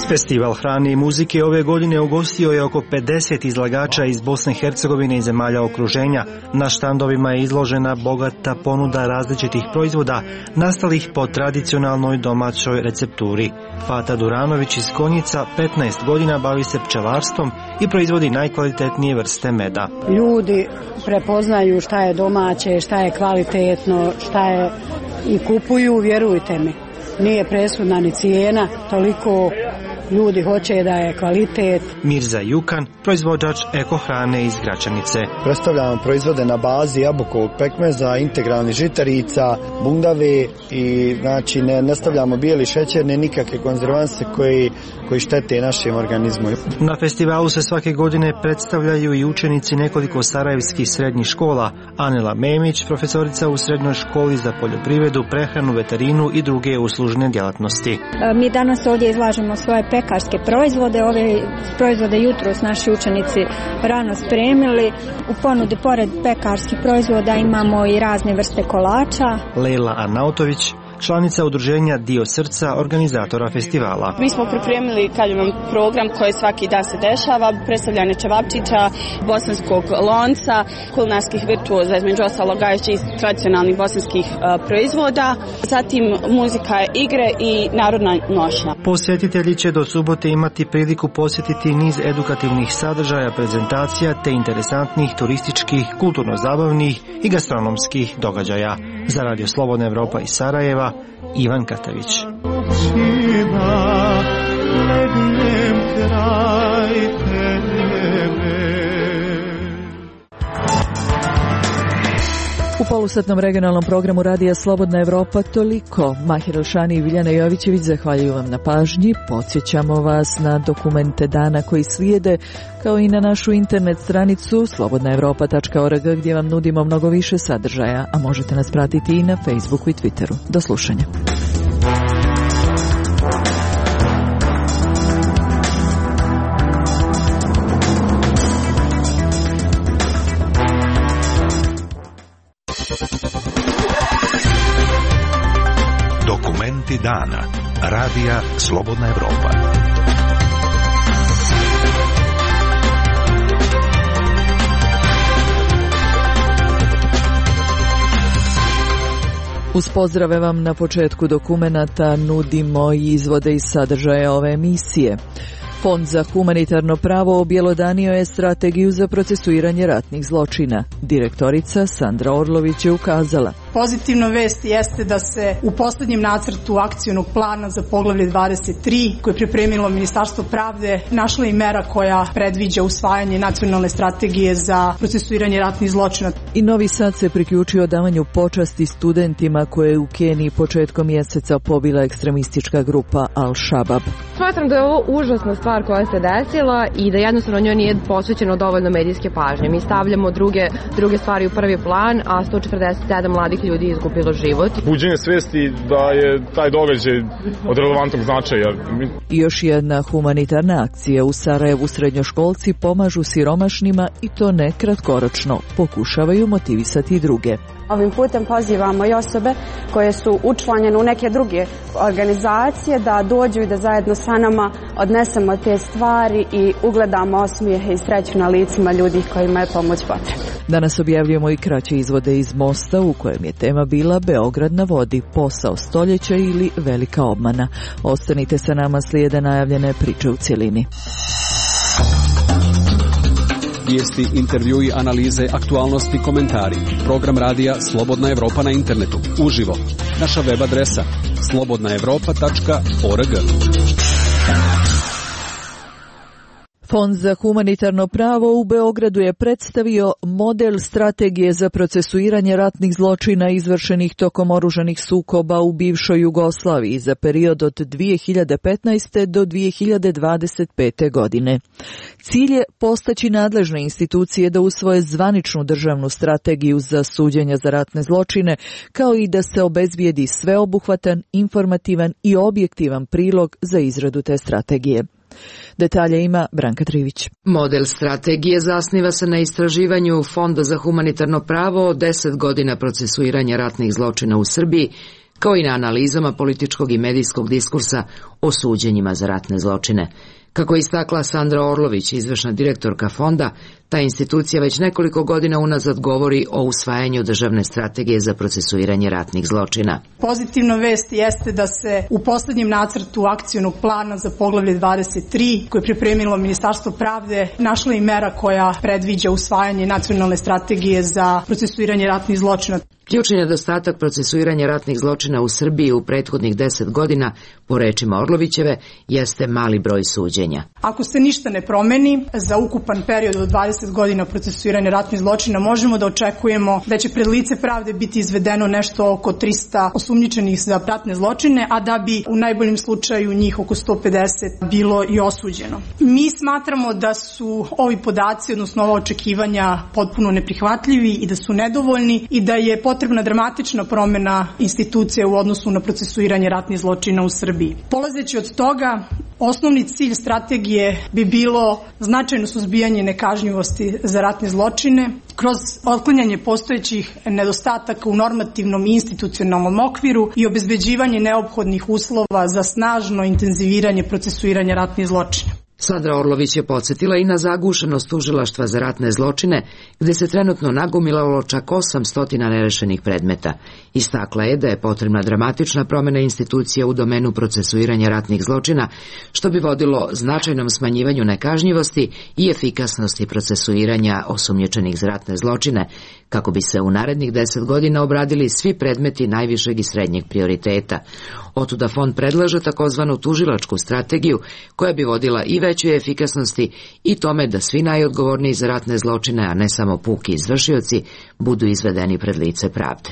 Festival hrane i muzike ove godine ugostio je oko 50 izlagača iz Bosne i Hercegovine i zemalja okruženja. Na štandovima je izložena bogata ponuda različitih proizvoda nastalih po tradicionalnoj domaćoj recepturi. Fata Duranović iz Konjica 15 godina bavi se pčelarstvom i proizvodi najkvalitetnije vrste meda. Ljudi prepoznaju šta je domaće, šta je kvalitetno, šta je i kupuju, vjerujte mi. Nije presudna ni cijena, toliko ljudi hoće da je kvalitet. Mirza Jukan, proizvođač eko hrane iz Gračanice. Predstavljamo proizvode na bazi jabukovog pekmeza, integralnih žitarica, bundave i znači ne stavljamo bijeli šećer, ne nikakve konzervanse koji štete našem organizmu. Na festivalu se svake godine predstavljaju i učenici nekoliko sarajevskih srednjih škola. Anela Memić, profesorica u srednjoj školi za poljoprivredu, prehranu, veterinu i druge uslužne djelatnosti. Mi danas ovdje izlažemo svoje pekarske proizvode. Ove proizvode jutros naši učenici rano spremili. U ponudi pored pekarskih proizvoda imamo i razne vrste kolača. Lejla Arnautović, članica udruženja Dio srca, organizatora festivala. Mi smo pripremili program koji svaki dan se dešava, predstavljanje čevapčića, bosanskog lonca, kulinarskih virtuoza, između ostalog gajeći tradicionalnih bosanskih proizvoda, zatim muzika, igre i narodna nošnja. Posjetitelji će do subote imati priliku posjetiti niz edukativnih sadržaja, prezentacija te interesantnih turističkih, kulturno-zabavnih i gastronomskih događaja. Za Radio Slobodna Evropa iz Sarajeva, Ivan Katavić. U polusatnom regionalnom programu Radija Slobodna Evropa toliko. Mahir Elšani i Biljana Jovićević zahvaljuju vam na pažnji. Podsjećamo vas na dokumente dana koji slijede, kao i na našu internet stranicu slobodnaevropa.org gdje vam nudimo mnogo više sadržaja, a možete nas pratiti i na Facebooku i Twitteru. Do slušanja. Dokumenti dana. Radija Slobodna Evropa. Uz pozdrave vam na početku dokumenata nudimo i izvode iz sadržaja ove emisije. Fond za humanitarno pravo objelodanio je strategiju za procesuiranje ratnih zločina. Direktorica Sandra Orlović je ukazala: pozitivna vest jeste da se u posljednjem nacrtu akcionog plana za poglavlje 23, koje je pripremilo Ministarstvo pravde, našla i mera koja predviđa usvajanje nacionalne strategije za procesuiranje ratnih zločina. I Novi Sad se priključio davanju počasti studentima koje je u Keniji početkom mjeseca pobila ekstremistička grupa Al-Shabaab. Smatram da je ovo užasna stvar koja se desila i da jednostavno njoj nije posvećeno dovoljno medijske pažnje. Mi stavljamo druge stvari u prvi plan, a 147 mladih ljudi je izgubilo život. Buđenje svesti da je taj događaj od relevantnog značaja. I još jedna humanitarna akcija u Sarajevu. Srednjoškolci pomažu siromašnima i to ne kratkoročno. Pokušavaju motivisati i druge. Ovim putem pozivamo i osobe koje su učlanjene u neke druge organizacije da dođu i da zajedno sa nama odnesemo te stvari i ugledamo osmijehe i sreću na licima ljudi kojima je pomoć potrebna. Danas objavljujemo i kraće izvode iz Mosta u kojem je tema bila Beograd na vodi, posao stoljeća ili velika obmana. Ostanite sa nama, slijede najavljene priče u cjelini. Vijesti, intervjui, analize, aktualnosti, komentari. Program radija Slobodna Evropa na internetu. Uživo. Naša web adresa slobodnaevropa.org. Fond za humanitarno pravo u Beogradu je predstavio model strategije za procesuiranje ratnih zločina izvršenih tokom oružanih sukoba u bivšoj Jugoslaviji za period od 2015. do 2025. godine. Cilj je postaći nadležne institucije da usvoje zvaničnu državnu strategiju za suđenje za ratne zločine, kao i da se obezbijedi sveobuhvatan, informativan i objektivan prilog za izradu te strategije. Detalje ima Branka Trivić. Model strategije zasniva se na istraživanju Fonda za humanitarno pravo od 10 godina procesuiranja ratnih zločina u Srbiji, kao i na analizama političkog i medijskog diskursa o suđenjima za ratne zločine. Kako je istakla Sandra Orlović, izvršna direktorka fonda, ta institucija već nekoliko godina unazad govori o usvajanju državne strategije za procesuiranje ratnih zločina. Pozitivna vest jeste da se u posljednjem nacrtu akcionog plana za poglavlje 23, koje je pripremilo Ministarstvo pravde, našla i mera koja predviđa usvajanje nacionalne strategije za procesuiranje ratnih zločina. Ključni nedostatak procesuiranja ratnih zločina u Srbiji u prethodnih 10 godina, po rečima Orlovićeve, jeste mali broj suđenja. Ako se ništa ne promeni, za ukupan period od 20 godina procesuiranja ratnih zločina možemo da očekujemo da će pred lice pravde biti izvedeno nešto oko 300 osumnjičenih za ratne zločine, a da bi u najboljem slučaju njih oko 150 bilo i osuđeno. Mi smatramo da su ovi podaci, odnosno ova očekivanja, potpuno neprihvatljivi i da su nedovoljni i da je potrebna dramatična promjena institucije u odnosu na procesuiranje ratnih zločina u Srbiji. Polazeći od toga, osnovni cilj strategije bi bilo značajno suzbijanje nekažnjivosti za ratne zločine kroz otklanjanje postojećih nedostataka u normativnom i institucionalnom okviru i obezbeđivanje neophodnih uslova za snažno intenziviranje procesuiranja ratnih zločina. Sandra Orlović je podsjetila i na zagušenost tužilaštva za ratne zločine, gdje se trenutno nagomilalo čak 800 nerešenih predmeta. Istakla je da je potrebna dramatična promjena institucija u domenu procesuiranja ratnih zločina, što bi vodilo značajnom smanjivanju nekažnjivosti i efikasnosti procesuiranja osumnjičenih za ratne zločine, kako bi se u narednih 10 godina obradili svi predmeti najvišeg i srednjeg prioriteta. Otuda fond predlaže takozvanu tužilačku strategiju koja bi vodila i većoj efikasnosti i tome da svi najodgovorniji za ratne zločine, a ne samo puki izvršioci, budu izvedeni pred lice pravde.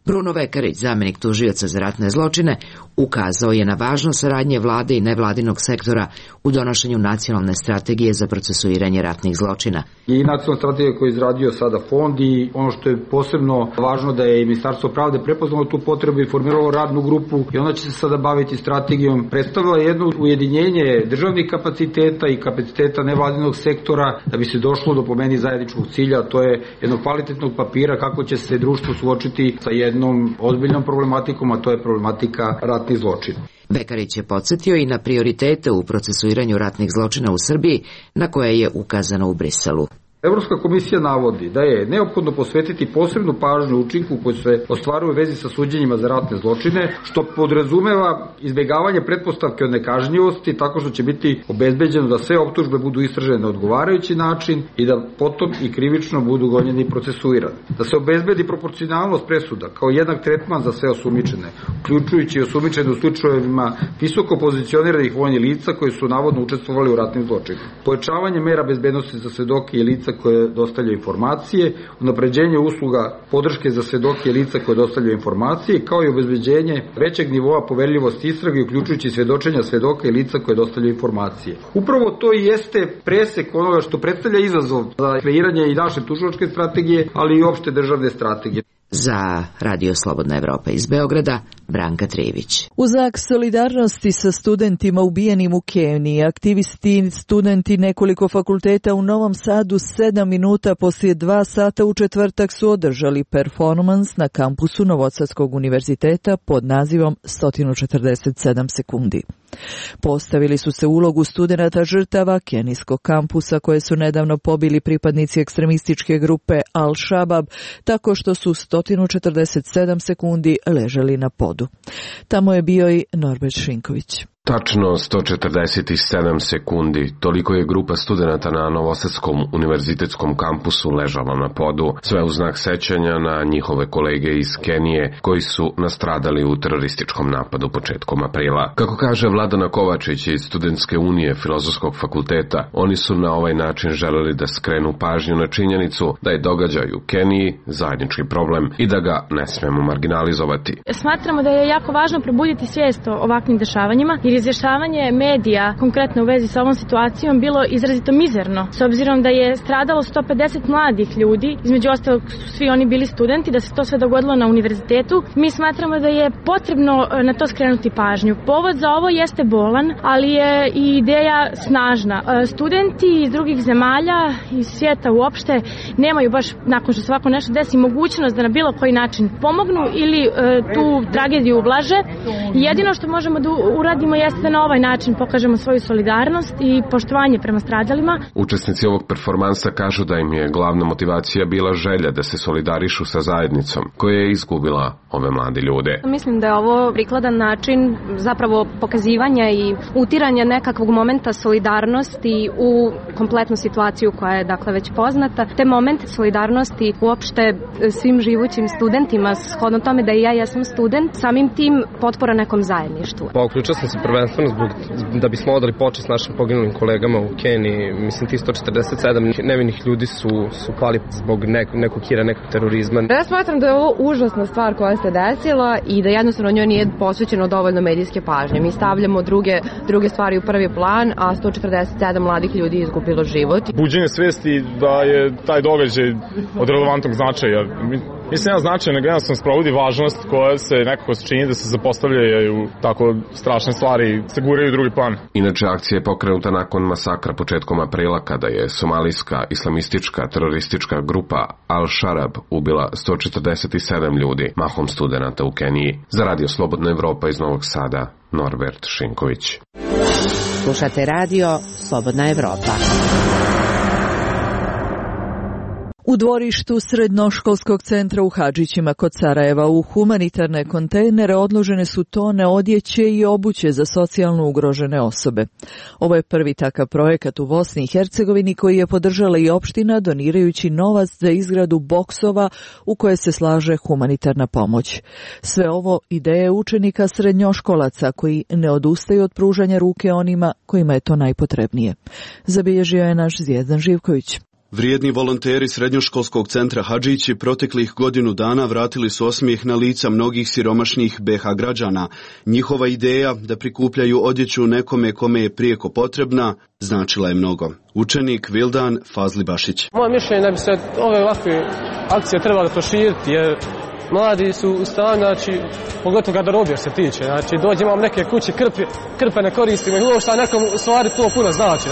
Bruno Vekarić, zamenik tužioca za ratne zločine, ukazao je na važnost saradnje vlade i nevladinog sektora u donošenju nacionalne strategije za procesuiranje ratnih zločina. I nacionalna strategija koju je izradio sada fond i ono što je posebno važno da je i Ministarstvo pravde prepoznalo tu potrebu i formiralo radnu grupu i ona će se sada baviti strategijom. Predstavila jedno ujedinjenje državnih kapaciteta i kapaciteta nevladinog sektora da bi se došlo do po meni zajedničkog cilja, a to je jednog kvalitetnog papira kako će se društvo suočiti sa jednom ozbiljnom problematikom, a to je problematika ratnih zločina. Vekarić je podsjetio i na prioritete u procesuiranju ratnih zločina u Srbiji, na koje je ukazano u Briselu. Evropska komisija navodi da je neophodno posvetiti posebnu pažnju učinku koji se ostvaruje u vezi sa suđenjima za ratne zločine, što podrazumeva izbjegavanje pretpostavke od nekažnjivosti tako što će biti obezbeđeno da sve optužbe budu istražene na odgovarajući način i da potom i krivično budu gonjeni i procesuirani. Da se obezbedi proporcionalnost presuda kao jednak tretman za sve osumnjičene, uključujući i osumnjičene u slučajevima visoko pozicioniranih vojnih lica koji su navodno učestvovali u ratnim zločinima. Pojačavanje mera bezbednosti za svedoke i lica koje dostavljaju informacije, unapređenje usluga podrške za svedoke i lica koje dostavljaju informacije, kao i obezbeđenje većeg nivoa poverljivosti istrage, uključujući svjedočenja svedoka i lica koje dostavljaju informacije. Upravo to i jeste presek onoga što predstavlja izazov za kreiranje i naše tužilačke strategije, ali i opšte državne strategije. Za Radio Slobodna Evropa iz Beograda, Branka Trijević. U znak solidarnosti sa studentima ubijenim u Keniji, aktivisti i studenti nekoliko fakulteta u Novom Sadu 7 minuta poslije 2 sata u četvrtak su održali performans na kampusu Novosadskog univerziteta pod nazivom 147 sekundi. Postavili su se ulogu studenata žrtava kenijskog kampusa koje su nedavno pobili pripadnici ekstremističke grupe Al-Shabaab tako što su 147 sekundi ležali na podu. Tamo je bio i Norbert Šinković. Tačno 147 sekundi, toliko je grupa studenata na Novosadskom univerzitetskom kampusu ležala na podu, sve u znak sećanja na njihove kolege iz Kenije koji su nastradali u terorističkom napadu početkom aprila. Kako kaže Vladana Kovačić iz Studentske unije Filozofskog fakulteta, oni su na ovaj način želeli da skrenu pažnju na činjenicu da je događaj u Keniji zajednički problem i da ga ne smemo marginalizovati. Smatramo da je jako važno probuditi svijest o ovakvim dešavanjima, jer izvještavanje medija konkretno u vezi sa ovom situacijom bilo izrazito mizerno. S obzirom da je stradalo 150 mladih ljudi, između ostalog su svi oni bili studenti, da se to sve dogodilo na univerzitetu, mi smatramo da je potrebno na to skrenuti pažnju. Povod za ovo jeste bolan, ali je i ideja snažna. Studenti iz drugih zemalja, iz svijeta uopšte, nemaju baš, nakon što se ovako nešto desi, mogućnost da na bilo koji način pomognu ili tu tragediju ublaže. Jedino što možemo da uradimo jeste da na ovaj način pokažemo svoju solidarnost i poštovanje prema stradalima. Učesnici ovog performansa kažu da im je glavna motivacija bila želja da se solidarišu sa zajednicom koja je izgubila ove mlade ljude. Mislim da je ovo prikladan način zapravo pokazivanja i utiranja nekakvog momenta solidarnosti u kompletnu situaciju koja je dakle već poznata. Te momente solidarnosti uopšte svim živućim studentima, shodno tome da i ja jesam student, samim tim potpora nekom zajedništvu. Uključio sam se prvenstveno da bismo odali počest našim poginulim kolegama u Keniji. Mislim, ti 147 nevinih ljudi su pali zbog nekog hira, nekog terorizma. Ja smatram da je ovo užasna stvar koja se desila i da jednostavno njoj nije posvećeno dovoljno medijske pažnje. Mi stavljamo druge stvari u prvi plan, a 147 mladih ljudi je izgubilo život. Buđenje svesti da je taj događaj od relevantnog značaja. Mislim, nema značaja, nego jednostavno sprovodi važnost koja se nekako čini da se zapostavljaju tako strašne stvari, se guraju u drugi plan. Inače, akcija je pokrenuta nakon masakra početkom aprila kada je somalijska islamistička teroristička grupa Al-Shabaab ubila 147 ljudi, mahom studenata u Keniji. Za Radio Slobodna Evropa iz Novog Sada, Norbert Šinković. Slušate Radio Slobodna Evropa. U dvorištu srednjoškolskog centra u Hadžićima kod Sarajeva u humanitarne kontejnere odložene su tone odjeće i obuće za socijalno ugrožene osobe. Ovo je prvi takav projekat u Bosni i Hercegovini koji je podržala i opština donirajući novac za izgradu boksova u koje se slaže humanitarna pomoć. Sve ovo ideje učenika srednjoškolaca koji ne odustaju od pružanja ruke onima kojima je to najpotrebnije. Zabilježio je naš Zvijezdan Živković. Vrijedni volonteri srednjoškolskog centra Hadžići proteklih godinu dana vratili su osmijeh na lica mnogih siromašnih BH građana. Njihova ideja da prikupljaju odjeću nekome kome je prijeko potrebna značila je mnogo. Učenik Vildan Fazlibašić. Moje mišljenje da bi se ove ovakve akcije trebali proširiti jer mladi su u stanju, znači, pogotovo garderobija se tiče, znači dođe imam neke kuće krpe ne koristimo i uopšte nekom stvari to puno znači,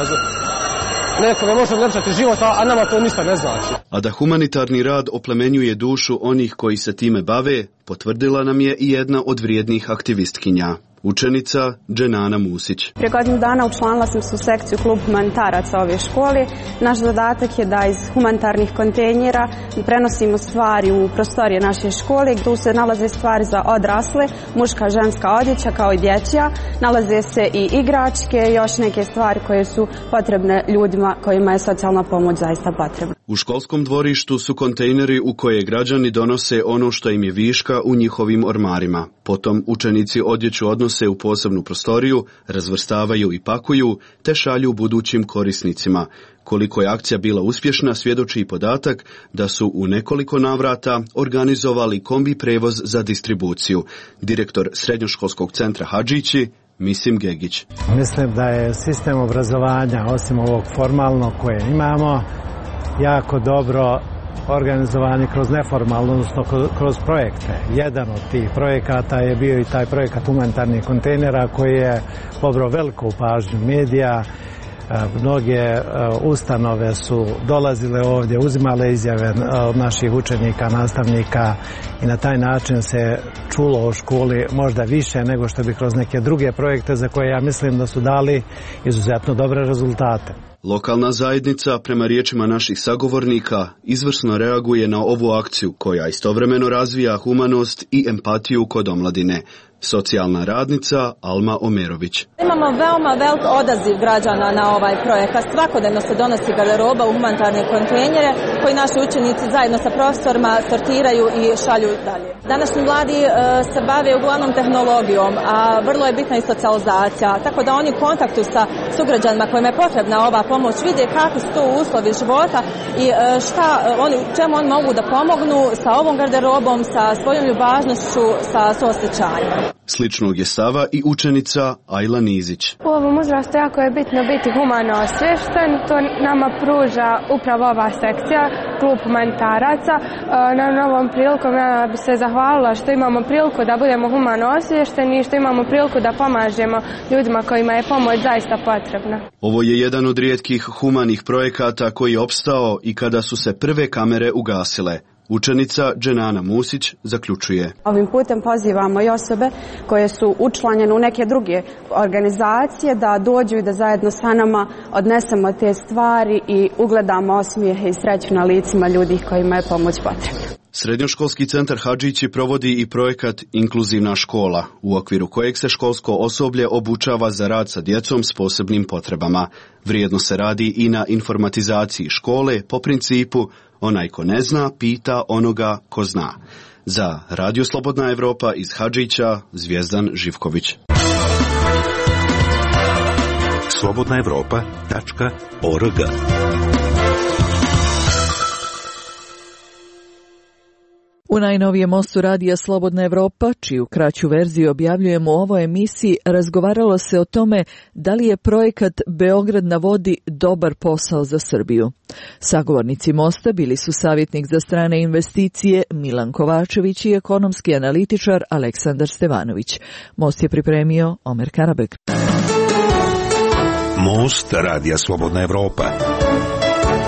nekome može odlepšati život, a nama to ništa ne znači. A da humanitarni rad oplemenjuje dušu onih koji se time bave, potvrdila nam je i jedna od vrijednih aktivistkinja. Učenica Dženana Musić. Prije godinu dana učlanila sam se u sekciju klub humanitaraca ove škole. Naš zadatak je da iz humanitarnih kontejnera prenosimo stvari u prostorije naše škole. Tu se nalaze stvari za odrasle, muška, ženska odjeća kao i dječja. Nalaze se i igračke i još neke stvari koje su potrebne ljudima kojima je socijalna pomoć zaista potrebna. U školskom dvorištu su kontejneri u koje građani donose ono što im je viška u njihovim ormarima. Potom učenici odjeću odnose u posebnu prostoriju, razvrstavaju i pakuju, te šalju budućim korisnicima. Koliko je akcija bila uspješna, svjedoči i podatak da su u nekoliko navrata organizovali kombi prevoz za distribuciju. Direktor srednjoškolskog centra Hadžići, Misim Gegić. Mislim da je sistem obrazovanja, osim ovog formalnog koje imamo, jako dobro organizovani kroz neformalno, odnosno kroz projekte. Jedan od tih projekata je bio i taj projekat humanitarnih kontejnera koji je pobrao veliku pažnju medija. Mnoge ustanove su dolazile ovdje, uzimale izjave od naših učenika, nastavnika i na taj način se čulo o školi možda više nego što bi kroz neke druge projekte za koje ja mislim da su dali izuzetno dobre rezultate. Lokalna zajednica, prema riječima naših sagovornika, izvrsno reaguje na ovu akciju koja istovremeno razvija humanost i empatiju kod omladine. Socijalna radnica Alma Omerović. Imamo veoma velik odaziv građana na ovaj projekat. Svakodnevno se donosi garderoba u humanitarne kontejnere koji naši učenici zajedno sa profesorima sortiraju i šalju dalje. Današnji mladi se bave uglavnom tehnologijom, a vrlo je bitna i socijalizacija, tako da oni u kontaktu sa sugrađanima kojima je potrebna ova pomoć vide kakvi su to uslovi života i čemu oni mogu da pomognu sa ovom garderobom, sa svojom ljubaznošću, sa suosjećanjem. Sličnog je stava i učenica Ajla Nizić. U ovom uzrastu jako je bitno biti humano osviješten, to nama pruža upravo ova sekcija, klub humanitaraca. Na ovom prilikom ja bi se zahvalila što imamo priliku da budemo humano osviješteni i što imamo priliku da pomažemo ljudima kojima je pomoć zaista potrebna. Ovo je jedan od rijetkih humanih projekata koji je opstao i kada su se prve kamere ugasile. Učenica Dženana Musić zaključuje. Ovim putem pozivamo i osobe koje su učlanjene u neke druge organizacije da dođu i da zajedno sa nama odnesemo te stvari i ugledamo osmijehe i sreću na licima ljudi kojima je pomoć potrebna. Srednjoškolski centar Hadžići provodi i projekat Inkluzivna škola, u okviru kojeg se školsko osoblje obučava za rad sa djecom s posebnim potrebama. Vrijedno se radi i na informatizaciji škole po principu onaj ko ne zna, pita onoga ko zna. Za Radio Slobodna Evropa iz Hadžića, Zvijezdan Živković. slobodnaevropa.org. U najnovijem mostu radija Slobodna Evropa, čiju kraću verziju objavljujemo u ovoj emisiji, razgovaralo se o tome da li je projekat Beograd na vodi dobar posao za Srbiju. Sagovornici mosta bili su savjetnik za strane investicije Milan Kovačević i ekonomski analitičar Aleksandar Stevanović. Most je pripremio Omer Karabek. Most radija Slobodna Evropa.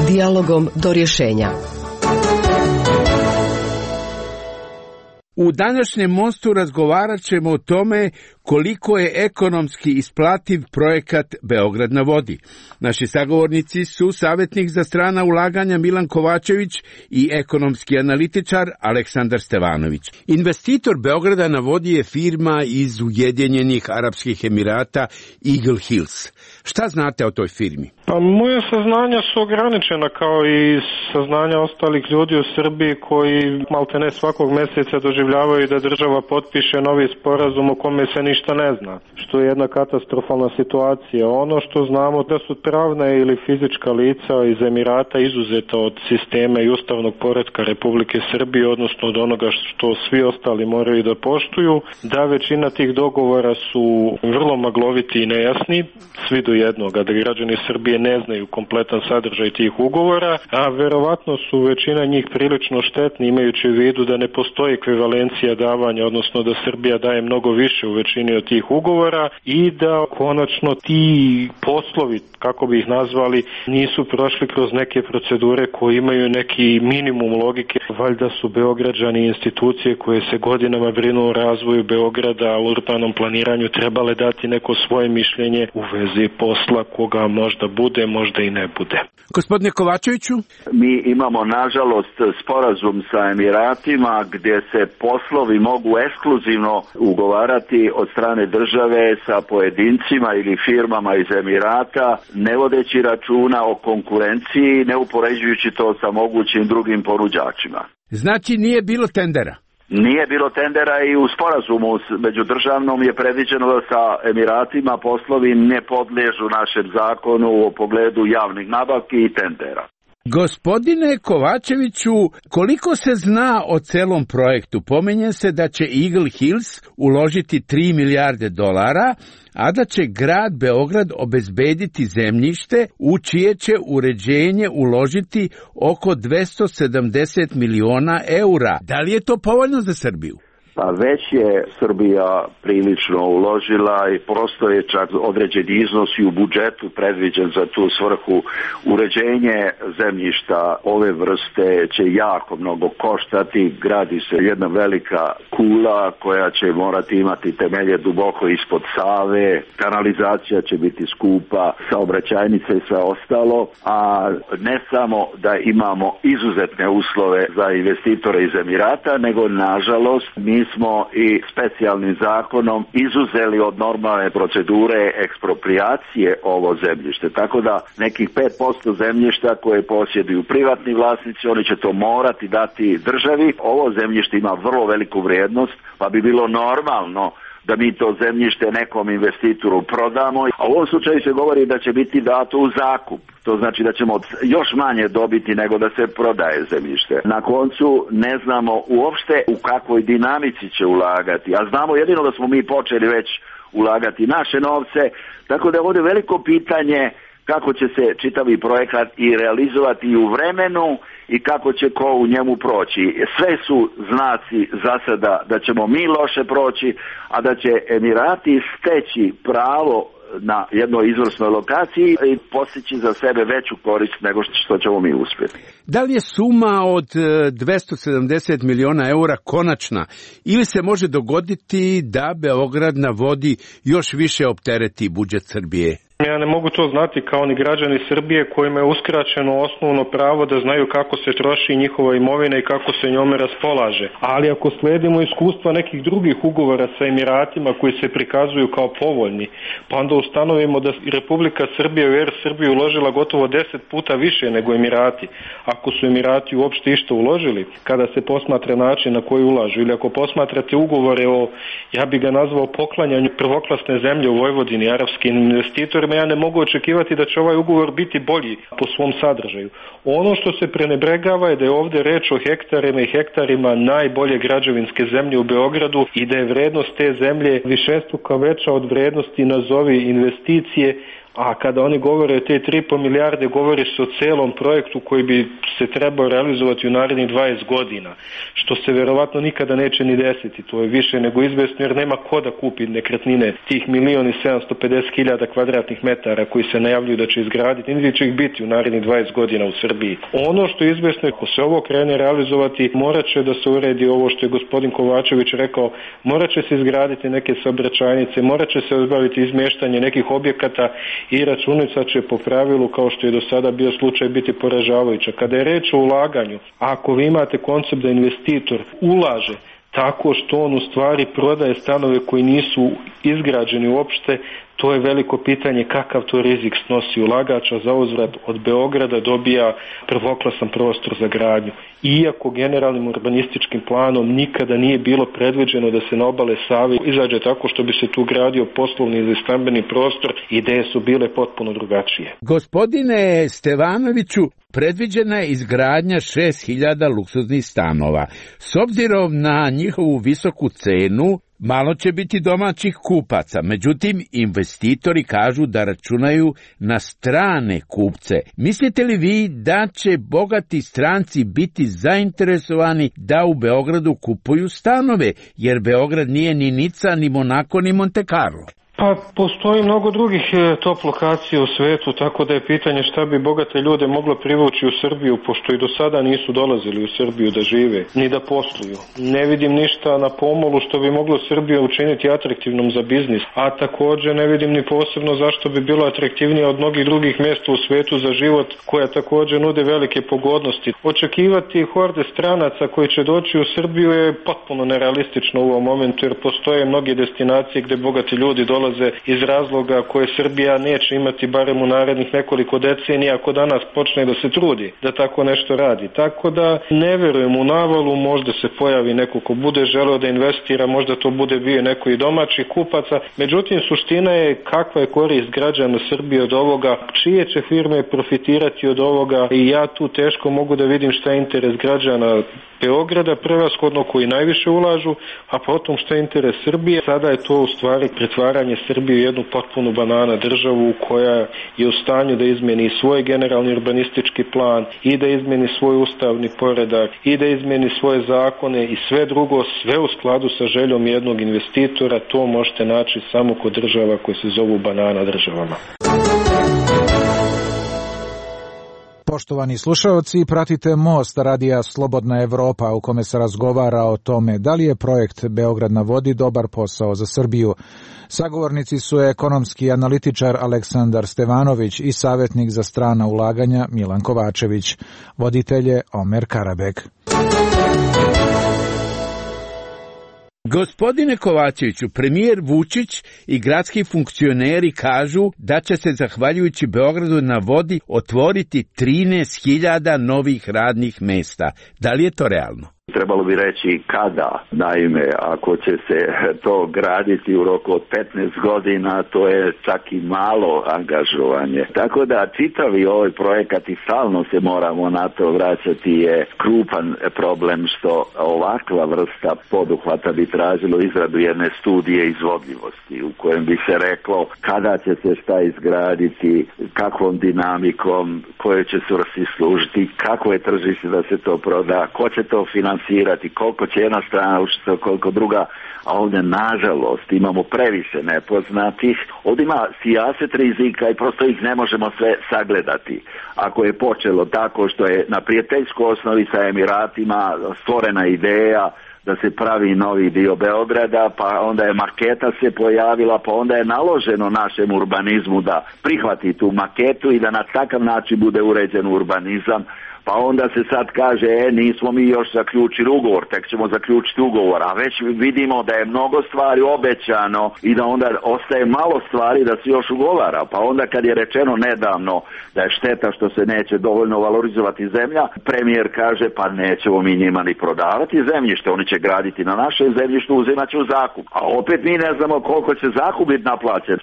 Dijalogom do rješenja. U današnjem mostu razgovarat ćemo o tome koliko je ekonomski isplativ projekat Beograd na vodi. Naši sagovornici su savjetnik za strana ulaganja Milan Kovačević i ekonomski analitičar Aleksandar Stevanović. Investitor Beograda na vodi je firma iz Ujedinjenih Arapskih Emirata Eagle Hills. Šta znate o toj firmi? Pa moje saznanja su ograničena kao i saznanja ostalih ljudi u Srbiji koji maltene svakog mjeseca doživljavaju da država potpiše novi sporazum o kome se ništa ne zna, što je jedna katastrofalna situacija. Ono što znamo da su pravna ili fizička lica iz Emirata izuzeta od sistema i ustavnog poretka Republike Srbije, odnosno od onoga što svi ostali moraju da poštuju, da većina tih dogovora su vrlo magloviti i nejasni, svi do jednoga, da građani Srbije ne znaju kompletan sadržaj tih ugovora, a verovatno su većina njih prilično štetni, imajući u vidu da ne postoji ekvivalencija davanja, odnosno da Srbija daje mnogo više u većini od tih ugovora i da konačno ti poslovi, kako bi ih nazvali, nisu prošli kroz neke procedure koje imaju neki minimum logike. Valjda su Beograđani institucije koje se godinama brinu o razvoju Beograda, u urbanom planiranju, trebale dati neko svoje mišljenje u vezi posla koga možda bude, možda i ne bude. Gospodine Kovačeviću? Mi imamo, nažalost, sporazum sa Emiratima gdje se poslovi mogu ekskluzivno ugovarati od strane države sa pojedincima ili firmama iz Emirata, ne vodeći računa o konkurenciji, ne upoređujući to sa mogućim drugim ponuđačima. Znači nije bilo tendera? Nije bilo tendera i u sporazumu međudržavnom je predviđeno da sa Emiratima poslovi ne podliježu našem zakonu u pogledu javnih nabavki i tendera. Gospodine Kovačeviću, koliko se zna o celom projektu? Pominje se da će Eagle Hills uložiti 3 milijarde dolara, a da će grad Beograd obezbediti zemljište u čije će uređenje uložiti oko 270 miliona eura. Da li je to povoljno za Srbiju? Pa već je Srbija prilično uložila i postoje čak određeni iznos i u budžetu predviđen za tu svrhu. Uređenje zemljišta ove vrste će jako mnogo koštati. Gradi se jedna velika kula koja će morati imati temelje duboko ispod Save. Kanalizacija će biti skupa, saobraćajnice i sve ostalo. A ne samo da imamo izuzetne uslove za investitore iz Emirata, nego nažalost mi smo i specijalnim zakonom izuzeli od normalne procedure ekspropriacije ovo zemljište. Tako da nekih 5% zemljišta koje posjeduju privatni vlasnici, oni će to morati dati državi. Ovo zemljište ima vrlo veliku vrijednost, pa bi bilo normalno da mi to zemljište nekom investitoru prodamo. A u ovom slučaju se govori da će biti dato u zakup. To znači da ćemo još manje dobiti nego da se prodaje zemljište. Na koncu ne znamo uopšte u kakvoj dinamici će ulagati. A znamo jedino da smo mi počeli već ulagati naše novce. Tako da je ovdje veliko pitanje kako će se čitavi projekat i realizovati i u vremenu i kako će ko u njemu proći. Sve su znaci za sada da ćemo mi loše proći, a da će Emirati steći pravo na jednoj izvrsnoj lokaciji i postići za sebe veću korist nego što ćemo mi uspjeti. Da li je suma od 270 miliona eura konačna ili se može dogoditi da Beograd na vodi još više optereti budžet Srbije? Ja ne mogu to znati kao ni građani Srbije kojima je uskraćeno osnovno pravo da znaju kako se troši njihova imovina i kako se njome raspolaže. Ali ako sledimo iskustva nekih drugih ugovora sa Emiratima koji se prikazuju kao povoljni, pa onda ustanovimo da Republika Srbija u Air Srbiju uložila gotovo 10 puta više nego Emirati. Ako su Emirati uopšte išta uložili, kada se posmatra način na koji ulažu, ili ako posmatrate ugovore o, ja bi ga nazvao, poklanjanju prvoklasne zemlje u Vojvodini arapskim investitorima, ja ne mogu očekivati da će ovaj ugovor biti bolji po svom sadržaju. Ono što se prenebregava je da je ovdje reč o hektarima i hektarima najbolje građevinske zemlje u Beogradu i da je vrednost te zemlje višestruko veća od vrednosti nazovi investicije, A kada oni govore o te 3,5 milijarde, govori se o celom projektu koji bi se trebao realizovati u narednih 20 godina, što se verovatno nikada neće ni desiti. To je više nego izvesno jer nema ko da kupi nekretnine tih 1.750.000 kvadratnih metara koji se najavljuju da će izgraditi, niti će ih biti u narednih 20 godina u Srbiji. Ono što je izvesno, ako se ovo krene realizovati, morat će da se uredi ovo što je gospodin Kovačević rekao, morat će se izgraditi neke saobraćajnice, morat će se obaviti izmještanje nekih objekata i računica će po pravilu, kao što je do sada bio slučaj, biti poražavajuća. Kada je reč o ulaganju, ako vi imate koncept da investitor ulaže tako što on u stvari prodaje stanove koji nisu izgrađeni uopšte, to je veliko pitanje kakav to rizik snosi ulagač, a za uzvrat od Beograda dobija prvoklasan prostor za gradnju. Iako generalnim urbanističkim planom nikada nije bilo predviđeno da se na obale Save izađe tako što bi se tu gradio poslovni ili stambeni prostor, ideje su bile potpuno drugačije. Gospodine Stevanoviću, predviđena je izgradnja 6.000 luksuznih stanova. S obzirom na njihovu visoku cenu, malo će biti domaćih kupaca, međutim investitori kažu da računaju na strane kupce. Mislite li vi da će bogati stranci biti zainteresovani da u Beogradu kupuju stanove, jer Beograd nije ni Nica, ni Monako, ni Monte Carlo? Pa postoji mnogo drugih top lokacija u svetu, tako da je pitanje šta bi bogate ljude moglo privući u Srbiju, pošto i do sada nisu dolazili u Srbiju da žive, ni da posluju. Ne vidim ništa na pomolu što bi moglo Srbiju učiniti atraktivnom za biznis, a također ne vidim ni posebno zašto bi bilo atraktivnije od mnogih drugih mjesta u svetu za život, koja također nude velike pogodnosti. Očekivati horde stranaca koji će doći u Srbiju je potpuno nerealistično u ovom momentu, jer postoje mnoge destinacije gde bogati ljudi dolaze iz razloga koje Srbija neće imati barem u narednih nekoliko decenija ako danas počne da se trudi da tako nešto radi. Tako da ne verujem u navalu, možda se pojavi neko ko bude želeo da investira, možda to bude bio neko i domaćih kupaca. Međutim, suština je kakva je korist građana Srbije od ovoga, čije će firme profitirati od ovoga i ja tu teško mogu da vidim šta je interes građana Beograda, prevashodno koji najviše ulažu, a potom šta je interes Srbije. Sada je to u stvari pretvaranje Srbije u jednu potpunu banana državu koja je u stanju da izmeni svoj generalni urbanistički plan i da izmeni svoj ustavni poredak i da izmeni svoje zakone i sve drugo, sve u skladu sa željom jednog investitora. To možete naći samo kod država koje se zovu banana državama. Poštovani slušaoci, pratite Most radija Slobodna Evropa u kome se razgovara o tome da li je projekt Beograd na vodi dobar posao za Srbiju. Sagovornici su ekonomski analitičar Aleksandar Stevanović i savjetnik za strana ulaganja Milan Kovačević. Voditelj je Omer Karabek. Gospodine Kovačeviću, premijer Vučić i gradski funkcioneri kažu da će se, zahvaljujući Beogradu na vodi, otvoriti 13.000 novih radnih mesta. Da li je to realno? Trebalo bi reći kada. Naime, ako će se to graditi u roku od 15 godina, to je čak i malo angažovanje. Tako da čitavi ovaj projekat i stalno se moramo na to vraćati je krupan problem što ovakva vrsta poduhvata bi tražilo izradu jedne studije izvodljivosti u kojem bi se reklo kada će se šta izgraditi, kakvom dinamikom, koje će svrsi služiti, kako je tržište da se to proda, ko će to finansirati, koliko će jedna strana učiti, koliko druga, a ovdje nažalost imamo previše nepoznatih. Ovdje ima sijaset rizika i prosto ih ne možemo sve sagledati. Ako je počelo tako što je na prijateljskoj osnovi sa Emiratima stvorena ideja da se pravi novi dio Beograda, pa onda je maketa se pojavila, pa onda je naloženo našem urbanizmu da prihvati tu maketu i da na takav način bude uređen urbanizam, pa onda se sad kaže, nismo mi još zaključili ugovor, tek ćemo zaključiti ugovor, a već vidimo da je mnogo stvari obećano i da onda ostaje malo stvari da se još ugovara, pa onda kad je rečeno nedavno da je šteta što se neće dovoljno valorizovati zemlja, premijer kaže, pa nećemo mi njima ni prodavati zemljište, oni će graditi na našem zemljištu, uzimat će u zakup, a opet mi ne znamo koliko će zakup biti naplaćen.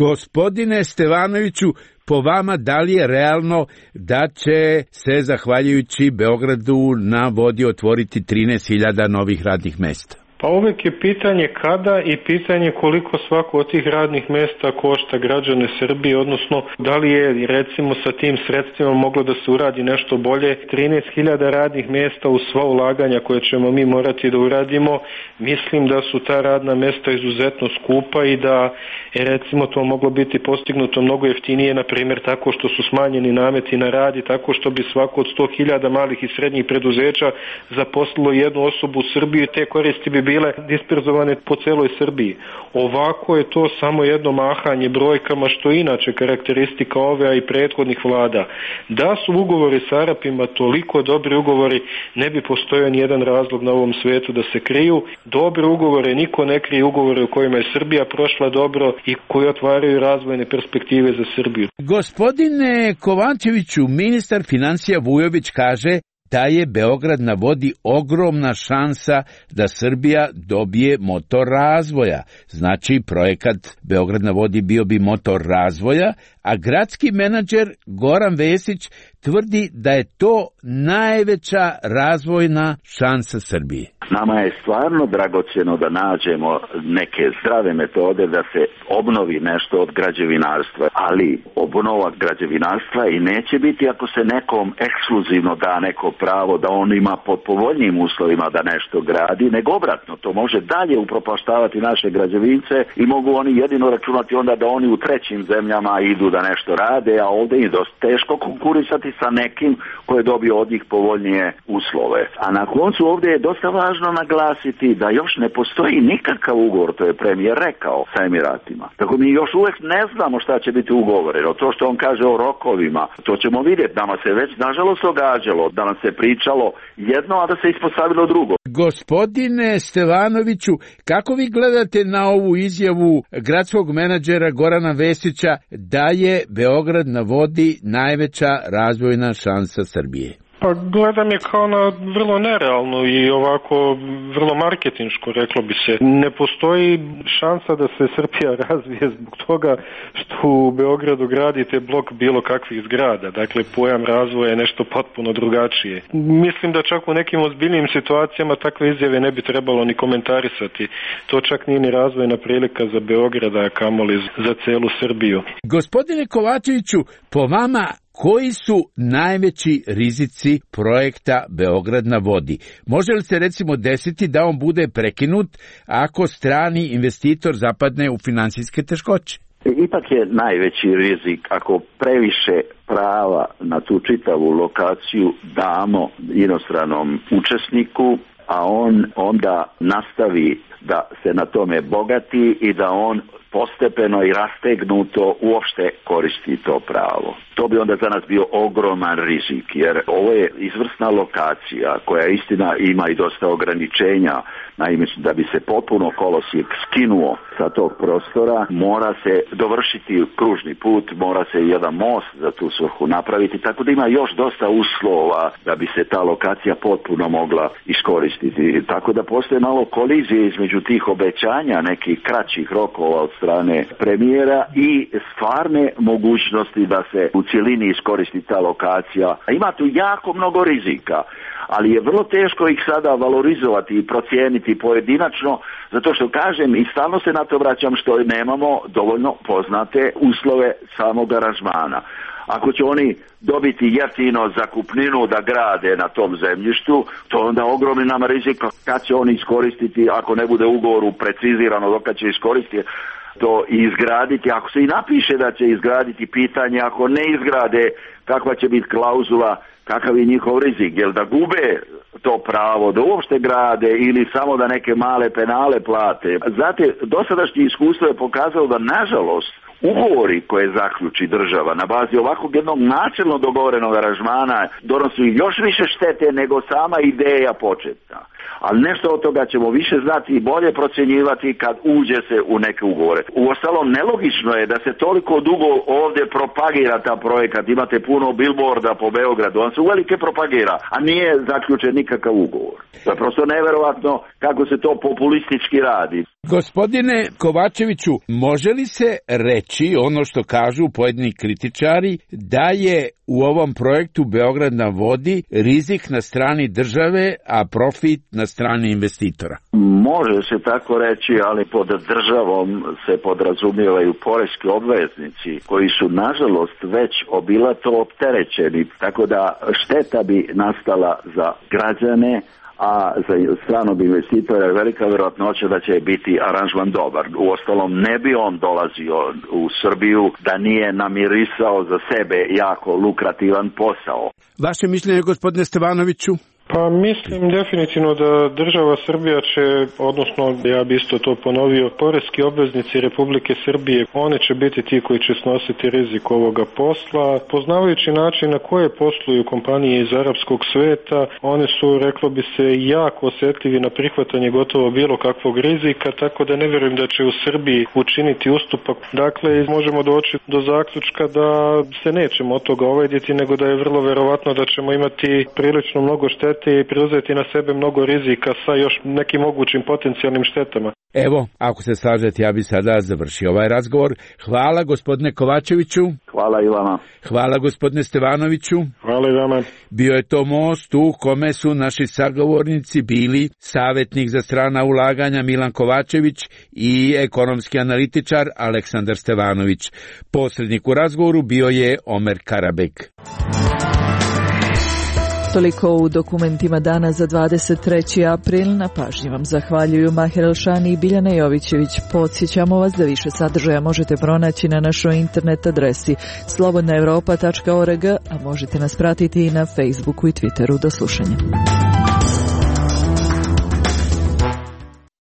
Gospodine Stevanoviću, po vama, da li je realno da će se, zahvaljujući Beogradu na vodi, otvoriti 13.000 novih radnih mesta? Pa uvek je pitanje kada i pitanje koliko svako od tih radnih mesta košta građane Srbije, odnosno da li je recimo sa tim sredstvima moglo da se uradi nešto bolje. 13.000 radnih mesta u sva ulaganja koje ćemo mi morati da uradimo, mislim da su ta radna mesta izuzetno skupa i da je recimo to moglo biti postignuto mnogo jeftinije, na primjer tako što su smanjeni nameti na rad i tako što bi svako od 100.000 malih i srednjih preduzeća zaposlilo jednu osobu u Srbiji, te koristi bi bile disperzovane po celoj Srbiji. Ovako je to samo jedno mahanje brojkama, što je inače karakteristika ove i prethodnih vlada. Da su ugovori sa Arapima toliko dobri ugovori, ne bi postojao nijedan razlog na ovom svetu da se kriju. Dobre ugovore, niko ne krije ugovore u kojima je Srbija prošla dobro i koji otvaraju razvojne perspektive za Srbiju. Gospodine Kovačeviću, ministar financija Vujović kaže da je Beograd na vodi ogromna šansa da Srbija dobije motor razvoja. Znači, projekat Beograd na vodi bio bi motor razvoja, a gradski menadžer Goran Vesić tvrdi da je to najveća razvojna šansa Srbije. Nama je stvarno dragocjeno da nađemo neke zdrave metode da se obnovi nešto od građevinarstva, ali obnova građevinarstva i neće biti ako se nekom ekskluzivno da neko pravo da on ima pod povoljnijim uslovima da nešto gradi, nego obratno. To može dalje upropaštavati naše građevince i mogu oni jedino računati onda da oni u trećim zemljama idu da nešto rade, a ovdje je dosta teško konkurisati sa nekim koji je dobio od njih povoljnije uslove. A na koncu ovdje je dosta važno naglasiti da još ne postoji nikakav ugovor, to je premijer rekao, sa Emiratima. Tako mi još uvijek ne znamo šta će biti ugovoreno. To što on kaže o rokovima, to ćemo vidjeti. Nama se već nažalost događalo da nam se pričalo jedno, a da se ispostavilo drugo. Gospodine Stevanoviću, kako vi gledate na ovu izjavu gradskog menadžera Gorana Vesića da je Beograd na vodi najveća razvojna šansa Srbije? Pa gledam je kao na vrlo nerealno i ovako vrlo marketinško, reklo bi se. Ne postoji šansa da se Srbija razvije zbog toga što u Beogradu gradite blok bilo kakvih zgrada. Dakle, pojam razvoja je nešto potpuno drugačije. Mislim da čak u nekim ozbiljnim situacijama takve izjave ne bi trebalo ni komentarisati. To čak nije ni razvojna prilika za Beograda, a kamoli za celu Srbiju. Gospodine Kovačeviću, po vama, koji su najveći rizici projekta Beograd na vodi? Može li se recimo desiti da on bude prekinut ako strani investitor zapadne u finansijske teškoće? Ipak je najveći rizik ako previše prava na tu čitavu lokaciju damo inostranom učesniku, a on onda nastavi da se na tome bogati i da on postepeno i rastegnuto uopšte koristi to pravo. To bi onda za nas bio ogroman rizik, jer ovo je izvrsna lokacija koja istina ima i dosta ograničenja. Naime, da bi se potpuno kolosijek skinuo sa tog prostora, mora se dovršiti kružni put, mora se jedan most za tu svrhu napraviti, tako da ima još dosta uslova da bi se ta lokacija potpuno mogla iskoristiti. Tako da postoje malo kolizije između tih obećanja, nekih kraćih rokova od strane premijera i stvarne mogućnosti da se u cjelini iskoristi ta lokacija. Ima tu jako mnogo rizika, ali je vrlo teško ih sada valorizovati i procijeniti pojedinačno, zato što kažem i stalno se na to vraćam što nemamo dovoljno poznate uslove samog aranžmana. Ako će oni dobiti jeftino zakupninu da grade na tom zemljištu, to je onda ogromni nama rizik kad će oni iskoristiti, ako ne bude u ugovoru precizirano dok će iskoristiti to i izgraditi. Ako se i napiše da će izgraditi, pitanje, ako ne izgrade, kakva će biti klauzula, kakav je njihov rizik, jer da gube to pravo, da uopšte grade ili samo da neke male penale plate. Znate, dosadašnje iskustvo je pokazalo da, nažalost, ugovori koje zaključi država na bazi ovakvog jednog načelno dogovorenog aranžmana donosi još više štete nego sama ideja početna. Ali nešto od toga ćemo više znati i bolje procjenjivati kad uđe se u neke ugovore. Uostalom, nelogično je da se toliko dugo ovdje propagira ta projekat. Imate puno billboarda po Beogradu, on se uvelike propagira, a nije zaključen nikakav ugovor. To je prosto neverovatno kako se to populistički radi. Gospodine Kovačeviću, može li se reći ono što kažu pojedini kritičari, da je u ovom projektu Beograd na vodi rizik na strani države, a profit na strani investitora? Može se tako reći, ali pod državom se podrazumijevaju poreski obveznici koji su nažalost već obilato opterećeni, tako da šteta bi nastala za građane, a za stranog investitora je velika vjerojatnoća da će biti aranžman dobar. Uostalom, ne bi on dolazio u Srbiju da nije namirisao za sebe jako lukrativan posao. Vaše mišljenje, gospodine Stevanoviću? Pa mislim definitivno da država Srbija će, odnosno ja bi isto to ponovio, poreski obveznici Republike Srbije, one će biti ti koji će snositi rizik ovoga posla. Poznavajući način na koje posluju kompanije iz arapskog sveta, one su, reklo bi se, jako osjetljivi na prihvatanje gotovo bilo kakvog rizika, tako da ne vjerujem da će u Srbiji učiniti ustupak. Dakle, možemo doći do zaključka da se nećemo od toga ovajditi, nego da je vrlo verovatno da ćemo imati prilično mnogo štete i preuzeti na sebe mnogo rizika sa još nekim mogućim potencijalnim štetama. Evo, ako se slažete, ja bi sada završio ovaj razgovor. Hvala gospodine Kovačeviću. Hvala i vama. Hvala gospodine Stevanoviću. Hvala i vama. Bio je to most u kome su naši sagovornici bili savjetnik za strana ulaganja Milan Kovačević i ekonomski analitičar Aleksandar Stevanović. Posrednik u razgovoru bio je Omer Karabek. Toliko u dokumentima dana za 23. april. Na pažnji vam zahvaljuju Maher Elšani i Biljana Jovićević. Podsjećamo vas da više sadržaja možete pronaći na našoj internet adresi slobodnaevropa.org, a možete nas pratiti i na Facebooku i Twitteru. Do slušanja.